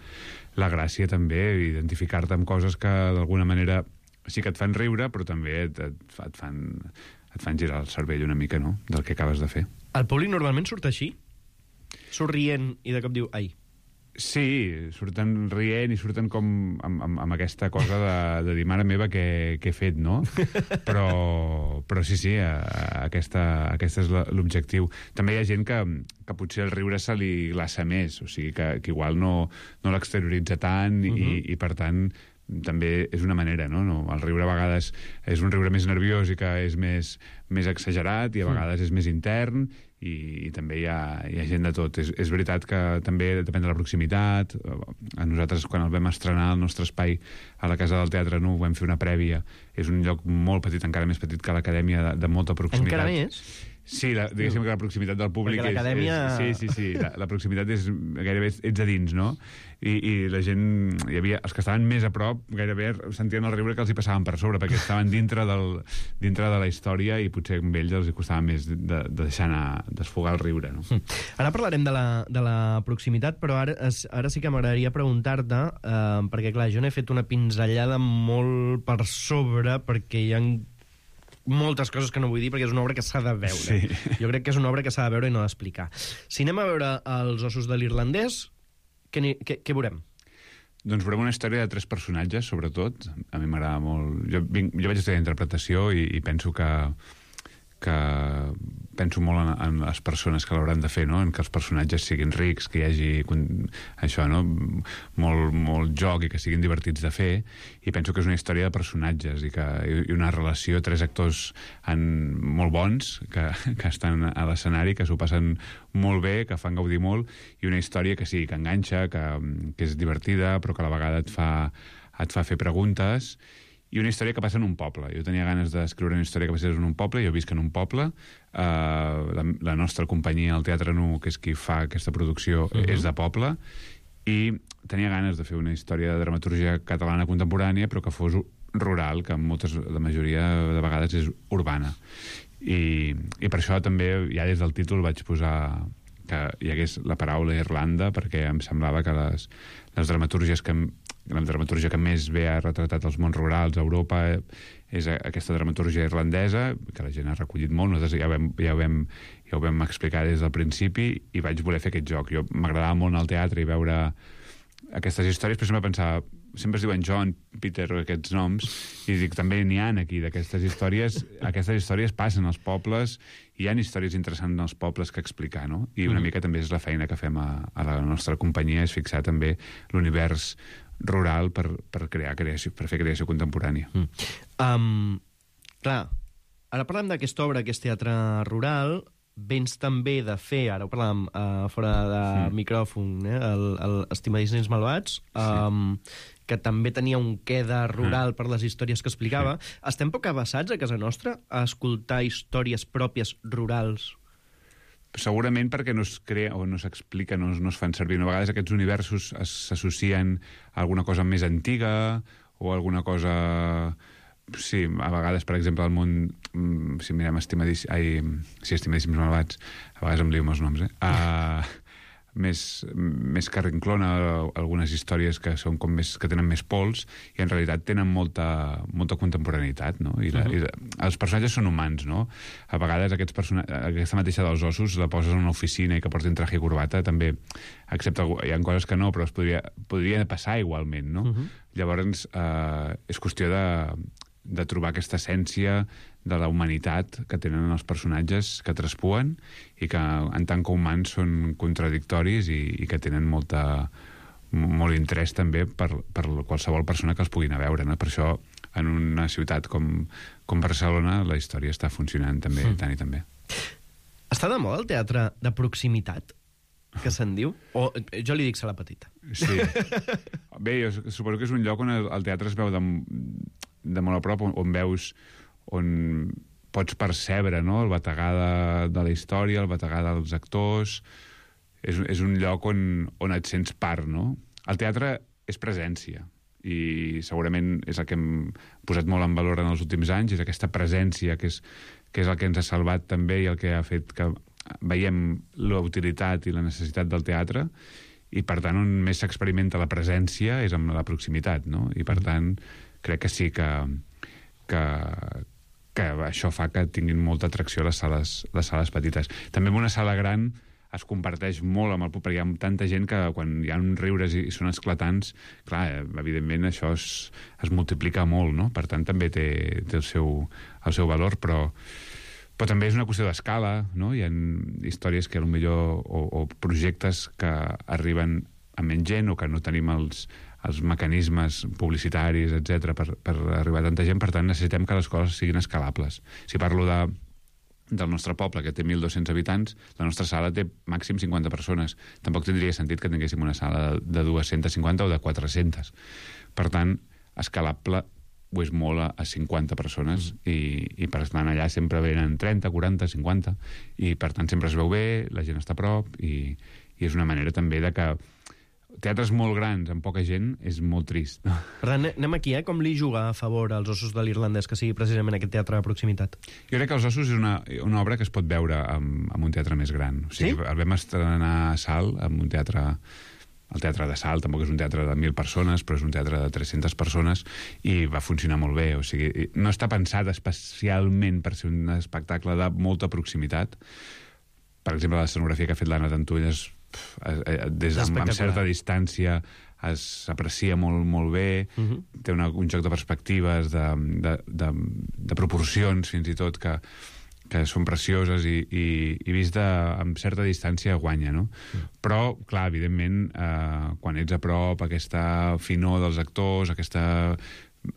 la gràcia també, identificar-te amb coses que d'alguna manera sí que et fan riure, però també et, et, et fan... et fan girar el cervell una mica, no?, del que acabes de fer. El públic normalment surt així? Surt rient i de cop diu, ai. Sí, surten rient i surten com amb, amb, amb aquesta cosa de, de dir, mare meva, què, què he fet, no? Però, però sí, sí, a, a aquesta, aquesta és l'objectiu. També hi ha gent que, que potser el riure se li glaça més, o sigui, que, que igual no, no l'exterioritza tant, uh-huh. i, i per tant també és una manera, no? no? El riure a vegades és un riure més nerviós i que és més, més exagerat, i a vegades és més intern, i, i també hi ha, hi ha gent de tot. És, és veritat que també depèn de la proximitat. A nosaltres, quan el vam estrenar al nostre espai a la Casa del Teatre Nou, vam fer una prèvia. És un lloc molt petit, encara més petit que l'Acadèmia, de, de molta proximitat. Encara més? Sí, la, diguéssim que la proximitat del públic... Perquè l'acadèmia... És, és, sí, sí, sí, la, la proximitat és gairebé ets a dins, no? I, i la gent... Hi havia, els que estaven més a prop gairebé sentien el riure que els hi passaven per sobre, perquè estaven dintre, del, dintre de la història i potser amb ells els hi costava més de, de deixar anar, desfogar el riure, no? Ara parlarem de la, de la proximitat, però ara, ara sí que m'agradaria preguntar-te, eh, perquè clar, jo n'he fet una pinzellada molt per sobre, perquè hi ha moltes coses que no vull dir perquè és una obra que s'ha de veure. Sí. Jo crec que és una obra que s'ha de veure i no d'explicar. Si anem a veure Els ossos de l'irlandès, què, què, què veurem? Doncs veurem una història de tres personatges, sobretot. A mi m'agrada molt... Jo, vinc, jo vaig estudiar interpretació i, i penso que, que penso molt en, en les persones que l'hauran de fer, no? En que els personatges siguin rics, que hi hagi això, no? Molt, molt joc i que siguin divertits de fer, i penso que és una història de personatges i, que, i una relació, tres actors en, molt bons que, que estan a l'escenari, que s'ho passen molt bé, que fan gaudir molt, i una història que sí, que enganxa, que, que és divertida, però que a la vegada et fa, et fa fer preguntes, i una història que passa en un poble. Jo tenia ganes d'escriure una història que passés en un poble, jo visc en un poble, uh, la, la nostra companyia, el Teatre Nu, que és qui fa aquesta producció, uh-huh. és de poble, i tenia ganes de fer una història de dramaturgia catalana contemporània, però que fos rural, que moltes, la majoria de vegades és urbana. I, i per això també, ja des del títol, vaig posar que hi hagués la paraula Irlanda, perquè em semblava que les, les dramaturgies que... la dramaturgia que més bé ha retratat els mons rurals a Europa és aquesta dramaturgia irlandesa, que la gent ha recollit molt. Nosaltres ja, vam, ja, vam, ja ho vam explicar des del principi i vaig voler fer aquest joc. Jo m'agradava molt anar al teatre i veure aquestes històries, però sempre pensava, sempre es diuen John, Peter, aquests noms, i dic, també n'hi ha aquí d'aquestes històries. Aquestes històries passen als pobles, i hi ha històries interessants en els pobles que explicar, no? I una mm. mica també és la feina que fem a, a la nostra companyia, és fixar també l'univers rural per, per crear creació, per fer creació contemporània. Mm. Um, clar, ara parlem d'aquesta obra que és teatre rural, vens també de fer, ara ho parlàvem uh, fora de mm. micròfon, eh, el, el Estimadíssims Malvats, um, sí. que també tenia un què de rural mm. per les històries que explicava. Sí. Estem poc avasats a casa nostra a escoltar històries pròpies rurals? Segurament perquè no es crea o no s'explica, no, no es fan servir. A vegades aquests universos s'associen a alguna cosa més antiga o alguna cosa... Sí, a vegades, per exemple, al món... Si mirem Estimadíssims... Ai, sí, Estimadíssims Malvats, a vegades em lio amb els noms, eh? Uh, més, més que rinclona algunes històries que són com més, que tenen més pols i en realitat tenen molta, molta contemporaneïtat, no? I, la, uh-huh. i la, els personatges són humans, no? A vegades aquests person... aquesta mateixa dels ossos la poses en una oficina i que portin traje i corbata també, excepte hi ha coses que no, però es podria, podria passar igualment, no? Uh-huh. Llavors eh, és qüestió de, de trobar aquesta essència de la humanitat que tenen els personatges que traspuen i que en tant que humans són contradictoris i, i que tenen molta, molt interès també per, per qualsevol persona que els pugui anar a veure, no? Per això en una ciutat com, com Barcelona la història està funcionant també mm. tant i també. Està de moda el teatre de proximitat, que se'n diu? O jo li dic Sala Petita. Sí. Bé, jo suposo que és un lloc on el, el teatre es veu de, de molt a prop, on, on veus on pots percebre, no?, el bategar de, de la història, el bategar dels actors. És, és un lloc on, on et sents part, no? El teatre és presència i segurament és el que hem posat molt en valor en els últims anys, és aquesta presència que és, que és el que ens ha salvat també i el que ha fet que veiem la utilitat i la necessitat del teatre, i per tant on més s'experimenta la presència és amb la proximitat, no? I per tant crec que sí que, que, que això fa que tinguin molta atracció les sales, les sales petites. També en una sala gran es comparteix molt amb el públic, perquè hi ha tanta gent que quan hi ha uns riures i, i són esclatants, clar, evidentment això es, es multiplica molt, no? Per tant també té, té el, seu, el seu valor, però però també és una qüestió d'escala, no? Hi ha històries que potser o, o projectes que arriben a menys gent o que no tenim els, els mecanismes publicitaris, etcètera, per, per arribar a tanta gent. Per tant, necessitem que les coses siguin escalables. Si parlo de, del nostre poble, que té mil dos-cents habitants, la nostra sala té màxim cinquanta persones. Tampoc tindria sentit que tinguéssim una sala de, de dues-centes cinquanta o de quatre-centes. Per tant, escalable ho és molt a, a cinquanta persones, mm. i, i per tant allà sempre venen trenta, quaranta, cinquanta, i per tant sempre es veu bé, la gent està a prop, i, i és una manera també de que teatres molt grans amb poca gent és molt trist. Per tant, anem aquí, eh? Com li juga a favor als Ossos de l'Irlandès que sigui precisament aquest teatre de proximitat? Jo crec que Els Ossos és una, una obra que es pot veure en, en un teatre més gran. O sigui, sí? El vam estrenar a Salt, en un teatre... El teatre de Salt tampoc és un teatre de mil persones, però és un teatre de tres-centes persones, i va funcionar molt bé. O sigui, no està pensat especialment per ser un espectacle de molta proximitat. Per exemple, l'escenografia que ha fet l'Anna Tantulles, des de, amb certa distància, s'aprecia molt, molt bé, uh -huh. té una, un joc de perspectives, de, de, de, de proporcions, fins i tot, que, que són precioses, i, i, i vist de, amb certa distància guanya, no? Uh-huh. Però, clar, evidentment, eh, quan ets a prop, aquesta finor dels actors, aquesta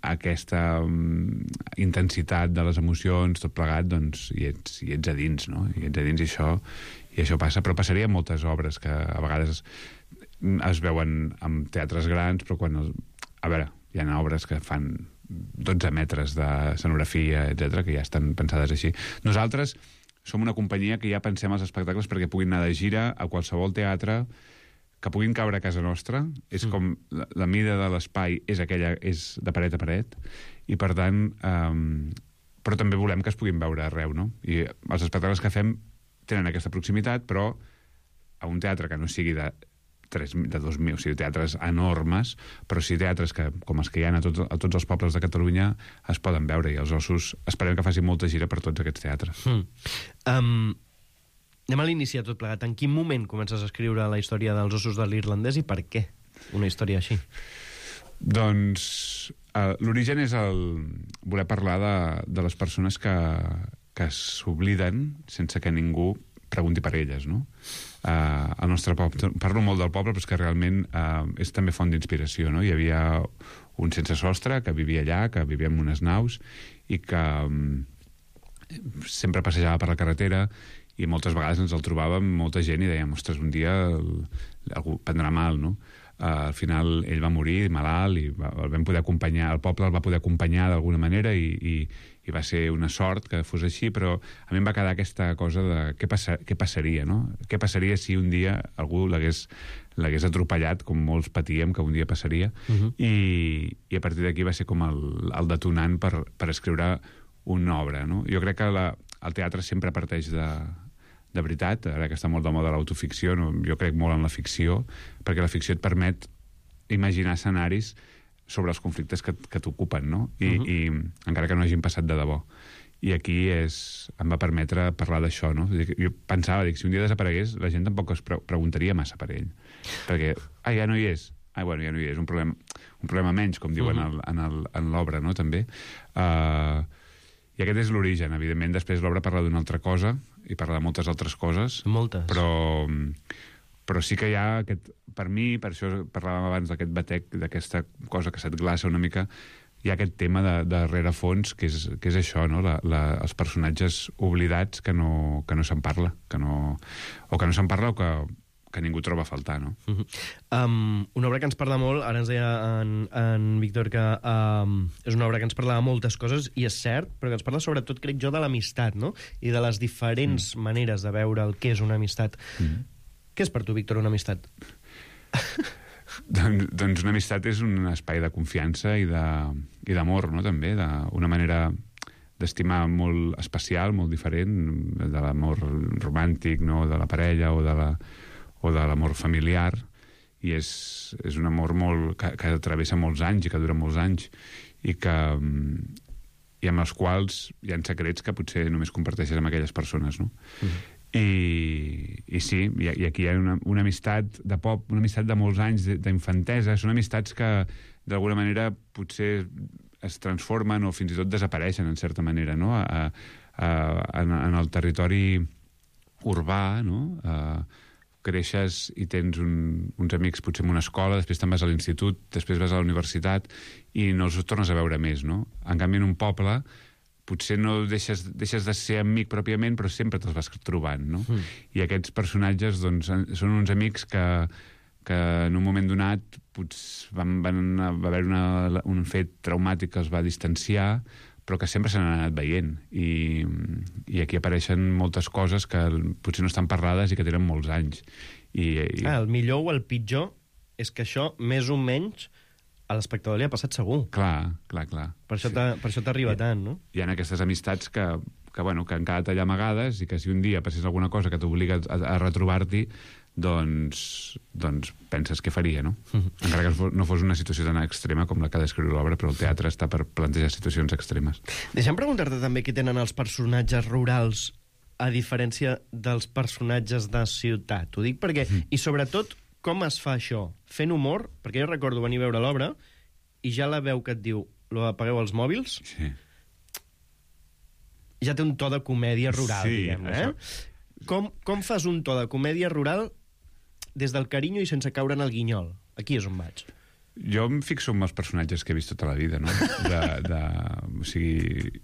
aquesta um, intensitat de les emocions, tot plegat, doncs hi ets, hi ets a dins, no? Hi ets a dins, i això, i això passa, però passaria en moltes obres que a vegades es veuen en teatres grans, però quan... El, a veure, hi ha obres que fan dotze metres de escenografia, etcètera, que ja estan pensades així. Nosaltres som una companyia que ja pensem els espectacles perquè puguin anar de gira a qualsevol teatre, que puguin caure a casa nostra. És com la, la mida de l'espai és aquella, és de paret a paret, i per tant um, però també volem que es puguin veure arreu, no? I els espectacles que fem tenen aquesta proximitat, però a un teatre que no sigui de tres, de dos mil, o sigui, teatres enormes, però sí teatres que, com els que hi ha a tots, a tots els pobles de Catalunya, es poden veure, i Els Ossos esperem que faci molta gira per tots aquests teatres. Mm. Um... Anem a l'inici de tot plegat. En quin moment comences a escriure la història dels Ossos de l'Irlandès, i per què una història així? Doncs uh, l'origen és el voler parlar de, de les persones que, que s'obliden sense que ningú pregunti per elles, no? Uh, el nostre poble, parlo molt del poble, però és que realment uh, és també font d'inspiració, no? Hi havia un sense sostre que vivia allà, que vivia en unes naus, i que um, sempre passejava per la carretera, i moltes vegades ens el trobàvem molta gent i dèiem, ostres, un dia el, algú prendrà mal, no? Uh, al final ell va morir malalt, i va, el vam poder acompanyar, el poble el va poder acompanyar d'alguna manera, i, i, i va ser una sort que fos així, però a mi em va quedar aquesta cosa de què, passa, què passaria, no? Què passaria si un dia algú l'hagués l'hagués atropellat, com molts patíem que un dia passaria, uh -huh. i, i a partir d'aquí va ser com el, el detonant per, per escriure una obra, no? Jo crec que la, el teatre sempre parteix de, de veritat, ara que està molt de moda l'autoficció, no? Jo crec molt en la ficció, perquè la ficció et permet imaginar escenaris sobre els conflictes que, que t'ocupen, no? I, uh -huh. i encara que no hagin passat de debò. I aquí és, em va permetre parlar d'això, no? Jo pensava, dic, si un dia desaparegués, la gent tampoc es pre preguntaria massa per ell. Perquè, ah, ja no hi és. Ah, bueno, ja no hi és. Un problema, un problema menys, com diuen uh -huh. en l'obra, no?, també. Uh, I aquest és l'origen. Evidentment, després l'obra parla d'una altra cosa, i parla de moltes altres coses. Moltes. Però, però sí que hi ha aquest... Per mi, per això parlàvem abans d'aquest batec, d'aquesta cosa que se't glaça una mica, hi ha aquest tema de, de rerefons, que és, que és això, no? La, la, els personatges oblidats que no, que no se'n parla, que no, o que no se'n parla o que, que ningú troba a faltar, no? Uh -huh. um, una obra que ens parla molt, ara ens deia en, en Víctor que um, és una obra que ens parla de moltes coses, i és cert, però que ens parla sobretot, crec jo, de l'amistat, no? I de les diferents mm. maneres de veure el que és una amistat. Mm. Què és per tu, Víctor, una amistat? doncs, doncs una amistat és un espai de confiança i d'amor, no?, també, d'una manera d'estimar molt especial, molt diferent de l'amor romàntic, no?, de la parella o de la o de l'amor familiar, i és, és un amor molt, que, que travessa molts anys i que dura molts anys, i que i amb els quals hi ha secrets que potser només comparteixes amb aquelles persones, no? Mm. I, i sí, i, i aquí hi ha una, una amistat de pop, una amistat de molts anys d'infantesa, són amistats que d'alguna manera potser es transformen o fins i tot desapareixen en certa manera, no?, a, a, en, en el territori urbà, no?, a, creixes i tens un, uns amics potser en una escola, després te'n vas a l'institut, després vas a la universitat i no els tornes a veure més, no? En canvi, en un poble potser no deixes, deixes de ser amic pròpiament, però sempre te'ls vas trobant, no? Mm. I aquests personatges, doncs, són uns amics que, que en un moment donat potser van, van, va haver una, un fet traumàtic que els va distanciar, però que sempre s'han anat veient. I, i aquí apareixen moltes coses que potser no estan parlades i que tenen molts anys. I, i... Ah, el millor o el pitjor és que això, més o menys, a l'espectador li ha passat segur. Clar, clar, clar. Per això sí. t'arriba tant, no? Hi ha aquestes amistats que, que, bueno, que han quedat allà amagades i que si un dia passés alguna cosa que t'obliga a, a retrobar-t'hi, doncs, doncs penses què faria, no? Mm-hmm. Encara que no fos una situació tan extrema com la que ha d'escriure l'obra, però el teatre està per plantejar situacions extremes. Deixa'm preguntar-te també què tenen els personatges rurals a diferència dels personatges de ciutat. Ho dic perquè... Mm. I sobretot, com es fa això? Fent humor? Perquè jo recordo venir a veure l'obra i ja la veu que et diu lo apagueu els mòbils, sí. Ja té un to de comèdia rural, sí, diguem-ne. Això... Eh? Com, com fas un to de comèdia rural des del carinyo i sense caure en el guinyol? Aquí és on vaig. Jo em fixo en els personatges que he vist tota la vida, no? De, de, o sigui,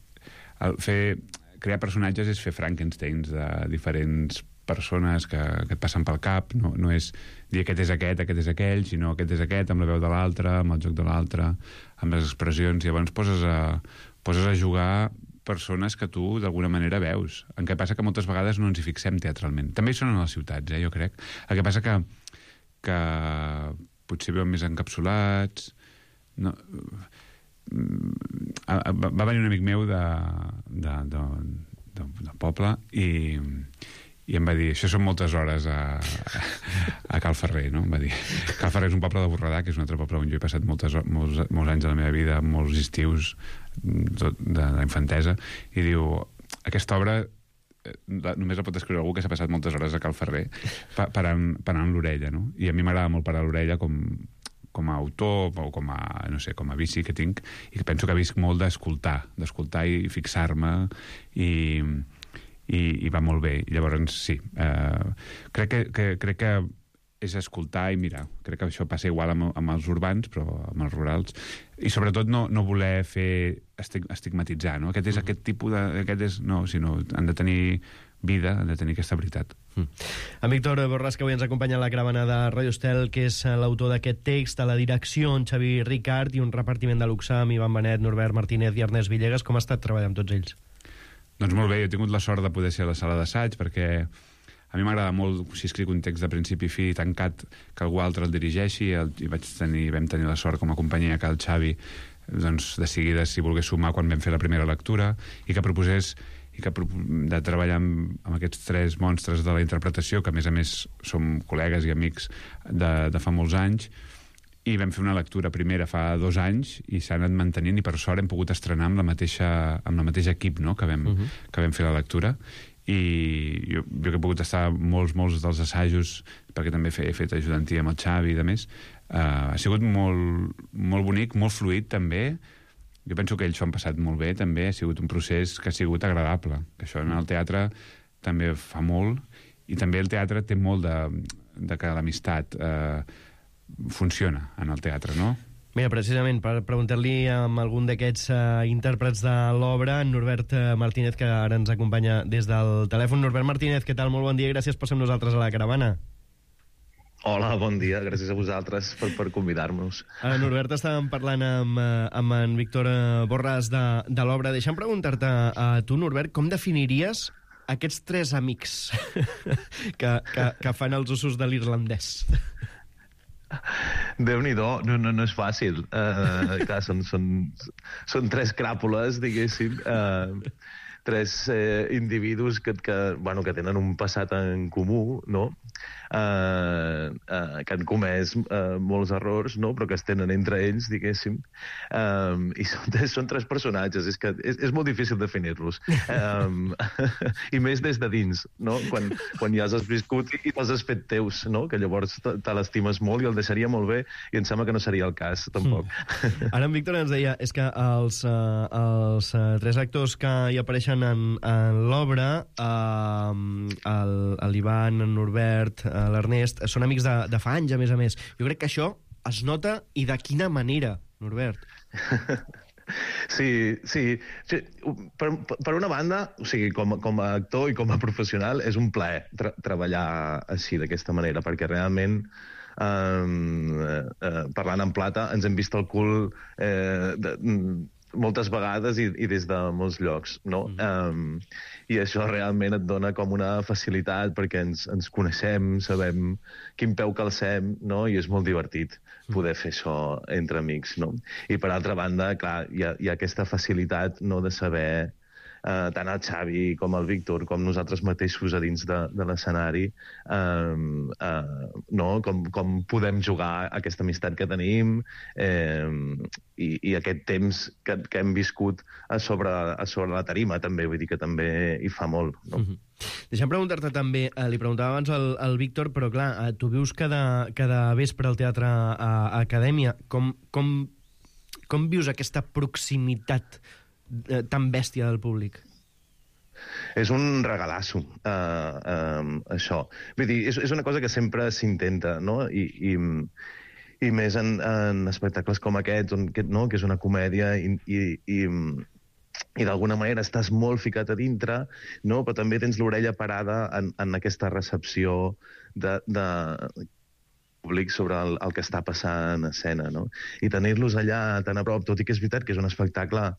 el fer, crear personatges és fer Frankensteins de diferents persones que, que et passen pel cap. No, no és dir aquest és aquest, aquest és aquell, sinó aquest és aquest, amb la veu de l'altre, amb el joc de l'altre, amb les expressions. I llavors poses a, poses a jugar persones que tu d'alguna manera veus. En què passa que moltes vegades no ens hi fixem teatralment. També hi són a les ciutats, eh, jo crec. El que passa que, que potser veuen més encapsulats... No, va venir un amic meu de, de, de, de, de poble i, i em va dir, això són moltes hores a, a Cal Ferrer, no? Em va dir, Cal Ferrer és un poble de Borredà, que és un altre poble on jo he passat moltes, molts, molts anys de la meva vida, molts estius de, de la infantesa, i diu, aquesta obra només la pot escriure algú que s'ha passat moltes hores a Cal Ferrer parant, parant l'orella, no? I a mi m'agrada molt parar l'orella com, com a autor o com a, no sé, com a vici que tinc, i que penso que visc molt d'escoltar, d'escoltar i fixar-me, i, i, i va molt bé. I llavors, sí, eh, crec, que, que, crec que és escoltar i mirar. Crec que això passa igual amb, amb els urbans, però amb els rurals. I sobretot no, no voler fer estigmatitzar, no? Aquest és aquest tipus de... Aquest és, no, sinó han de tenir vida, han de tenir aquesta veritat. Mm. En Víctor Borràs, que avui ens acompanya a la caravana de Radio Estel, que és l'autor d'aquest text, a la direcció, en Xavi Ricart, i un repartiment de luxe amb Ivan Benet, Norbert Martínez i Ernest Villegas. Com ha estat treballar amb tots ells? Doncs molt bé, jo he tingut la sort de poder ser a la sala d'assaig, perquè a mi m'agrada molt, si escric un text de principi i fi tancat, que algú altre el dirigeixi, el, i vaig tenir, vam tenir la sort com a companyia que el Xavi doncs, de seguida si volgués sumar quan vam fer la primera lectura, i que proposés i que de treballar amb, amb aquests tres monstres de la interpretació, que a més a més som col·legues i amics de, de fa molts anys, i vam fer una lectura primera fa dos anys i s'ha anat mantenint, i per sort hem pogut estrenar amb la mateixa, amb la mateixa equip, no?, que vam, uh -huh. que vam fer la lectura. I jo, jo que he pogut estar molts, molts dels assajos, perquè també he fet ajudantia amb el Xavi i de més, uh, ha sigut molt, molt bonic, molt fluid també. Jo penso que ells s'ho han passat molt bé també, ha sigut un procés que ha sigut agradable, que això en el teatre també fa molt, i també el teatre té molt de, de que l'amistat uh, funciona en el teatre, no? Mira, precisament, per preguntar-li amb algun d'aquests uh, intèrprets de l'obra, en Norbert Martínez, que ara ens acompanya des del telèfon. Norbert Martínez, què tal? Molt bon dia i gràcies per ser amb nosaltres a la caravana. Hola, bon dia. Gràcies a vosaltres per, per convidar-nos. Uh, Norbert, estàvem parlant amb, uh, amb en Víctor Borràs de, de l'obra. Deixa'm preguntar-te a tu, Norbert, com definiries aquests tres amics que, que, que fan els usos de l'irlandès? Déu-n'hi-do, no, no, no és fàcil. Uh, clar, són, són, són tres cràpules, diguéssim, uh, tres eh, individus que, que, bueno, que tenen un passat en comú, no? Uh, uh, que han comès uh, molts errors, no? Però que es tenen entre ells, diguéssim. Um, I són, són tres personatges, és que és, és molt difícil definir-los. Um, I més des de dins, no? Quan, quan ja has viscut i els has fet teus, no? Que llavors te l'estimes molt i el deixaria molt bé, i em sembla que no seria el cas, tampoc. Mm. Ara en Víctor ens deia, és que els, uh, els uh, tres actors que hi apareixen en, en l'obra, uh, l'Ivan, en Norbert, l'Ernest, són amics de, de fa anys, a més a més. Jo crec que això es nota, i de quina manera, Norbert? Sí, sí. sí. Per, per una banda, o sigui, com, com a actor i com a professional, és un plaer tra treballar així, d'aquesta manera, perquè realment eh, eh, parlant en plata, ens hem vist el cul eh, de, moltes vegades i, i des de molts llocs, no? Mm. Um, I això realment et dona com una facilitat perquè ens, ens coneixem, sabem quin peu calcem, no? I és molt divertit poder fer això entre amics, no? I per altra banda, clar, hi ha, hi ha aquesta facilitat, no?, de saber Uh, tant el Xavi com el Víctor, com nosaltres mateixos a dins de, de l'escenari, uh, uh, no? com, com podem jugar aquesta amistat que tenim eh, i, i aquest temps que, que hem viscut a sobre, a sobre la tarima, també, vull dir que també hi fa molt. No? Mm-hmm. Deixa'm preguntar-te també, eh, li preguntava abans al, al Víctor, però clar, eh, tu vius cada, cada vespre al Teatre a, a Acadèmia. Com, com, com vius aquesta proximitat Eh, tan bèstia del públic? És un regalasso, uh, uh, això. Vull dir, és, és una cosa que sempre s'intenta, no? I, i, i més en, en espectacles com aquest, on, que, no? que és una comèdia i, i, i, i d'alguna manera estàs molt ficat a dintre, no? Però també tens l'orella parada en, en aquesta recepció de, de públic sobre el, el que està passant a escena, no? I tenir-los allà tan a prop, tot i que és veritat que és un espectacle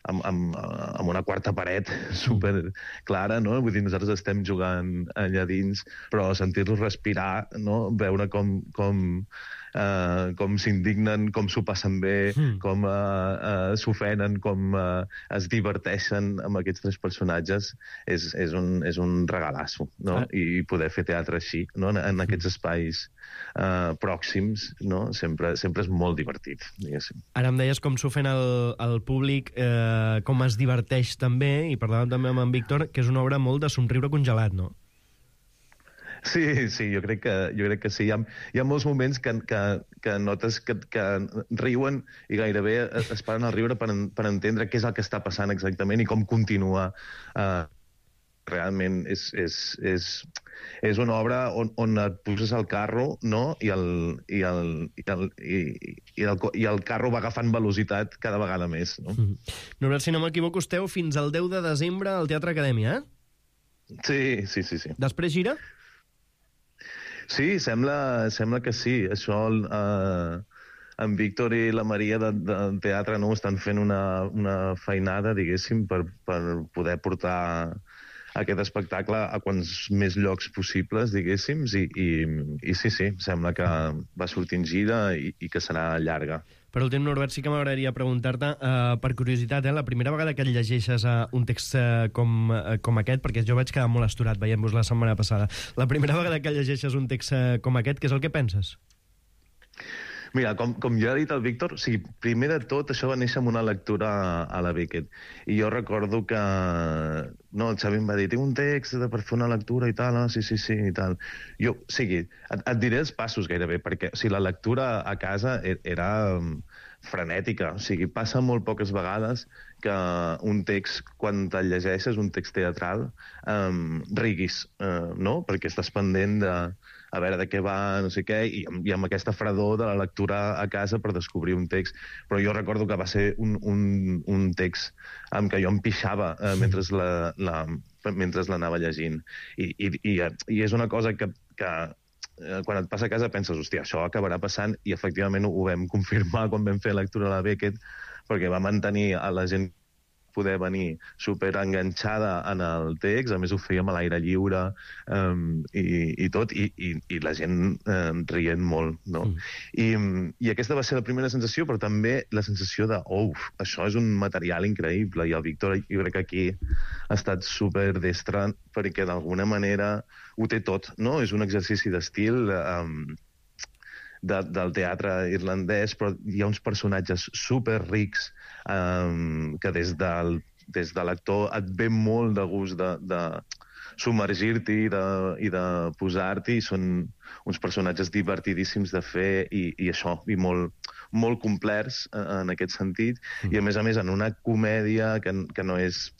amb, amb, amb una quarta paret super clara, no? Vull dir, nosaltres estem jugant allà dins, però sentir-los respirar, no? Veure com, com, uh, com s'indignen, com s'ho passen bé, mm. com uh, uh, s'ofenen, com uh, es diverteixen amb aquests tres personatges, és, és, un, és un regalasso, no? Ah. I poder fer teatre així, no? En, en aquests espais uh, pròxims, no? Sempre, sempre és molt divertit, diguéssim. Ara em deies com s'ofèn el, el públic, eh, com es diverteix també, i parlàvem també amb en Víctor, que és una obra molt de somriure congelat, no? Sí, sí, jo crec que, jo crec que sí. Hi ha, hi ha molts moments que, que, que notes que, que riuen i gairebé es paren al riure per, per entendre què és el que està passant exactament i com continua. Uh, realment és, és, és, és una obra on, on et poses al carro, no? I el, i, el, i, el, i, i, el, i el carro va agafant velocitat cada vegada més, no? Mm-hmm. Norbert, si no m'equivoco, esteu fins al deu de desembre al Teatre Acadèmia, eh? Sí, sí, sí, sí. Després gira? Sí, sembla, sembla que sí. Això, eh, en Víctor i la Maria de, del teatre, no, estan fent una, una feinada, diguéssim, per, per poder portar aquest espectacle a quants més llocs possibles, diguéssim, i, i, i sí, sí, sembla que va sortint gira i, i que serà llarga. Per últim, Norbert, sí que m'agradaria preguntar-te, uh, per curiositat, eh, la primera vegada que llegeixes uh, un text uh, com, uh, com aquest, perquè jo vaig quedar molt astorat veient-vos la setmana passada, la primera vegada que llegeixes un text uh, com aquest, què és el que penses? Mira, com, com ja ha dit el Víctor, o sigui, primer de tot això va néixer amb una lectura a, a la Beckett. I jo recordo que no, el Xavi em va dir, tinc un text per fer una lectura i tal, ah, sí, sí, sí, i tal. Jo, o sigui, et, et diré els passos gairebé, perquè o sigui, la lectura a casa era um, frenètica. O sigui, passa molt poques vegades que un text, quan te'l llegeixes, un text teatral, um, riguis, uh, no? Perquè estàs pendent de a veure de què va, no sé què, i, i amb aquesta fredor de la lectura a casa per descobrir un text. Però jo recordo que va ser un, un, un text amb què jo em pixava eh, mentre la, la, mentre l'anava llegint. I, i, i, I és una cosa que, que eh, quan et passa a casa penses, hòstia, això acabarà passant, i efectivament ho vam confirmar quan vam fer lectura a la Beckett, perquè va mantenir a la gent poder venir superenganxada en el text, a més ho fèiem a l'aire lliure um, i, i tot, i, i, i la gent um, rient molt, no? Mm. I, I aquesta va ser la primera sensació, però també la sensació de, oh, això és un material increïble, i el Víctor jo crec que aquí ha estat superdestre perquè d'alguna manera ho té tot, no? És un exercici d'estil um, de, del teatre irlandès, però hi ha uns personatges superrics Um, que des, del, des de l'actor et ve molt de gust de, de submergir-t'hi i de, i de posar-t'hi. Són uns personatges divertidíssims de fer i, i això, i molt, molt complets en aquest sentit. Mm. I a més a més en una comèdia que, que no és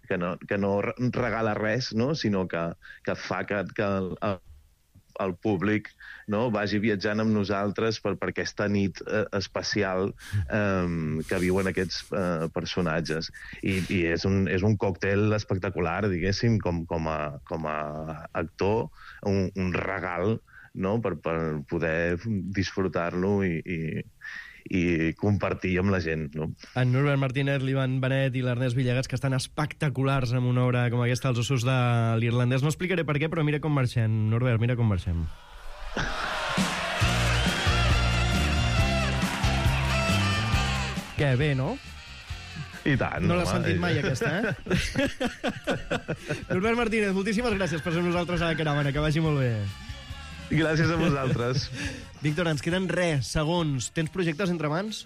que no, que no regala res, no? Sinó que, que fa que, que el, el públic, no, vagi viatjant amb nosaltres per, per aquesta nit eh, especial eh, que viuen aquests eh, personatges. I, i és, un, és un còctel espectacular, diguéssim, com, com, a, com a actor, un, un regal no? per, per poder disfrutar-lo i, i, i compartir amb la gent. No? En Norbert Martínez, l'Ivan Benet i l'Ernest Villegas, que estan espectaculars amb una obra com aquesta, Els ossos de l'irlandès. No explicaré per què, però mira com marxem. Norbert, mira com marxem. Que bé, no? I tant. No l'has home. sentit mai, aquesta, eh? Norbert Martínez, moltíssimes gràcies per ser amb nosaltres a la caravana. Que vagi molt bé. Gràcies a vosaltres. Víctor, ens queden res, segons. Tens projectes entre mans?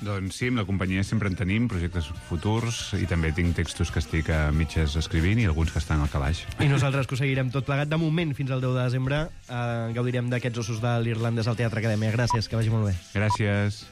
Doncs sí, amb la companyia sempre en tenim projectes futurs i també tinc textos que estic a mitges escrivint i alguns que estan al calaix. I nosaltres que ho seguirem tot plegat. De moment, fins al deu de desembre, eh, gaudirem d'aquests ossos de l'irlandès al Teatre Acadèmia. Gràcies, que vagi molt bé. Gràcies.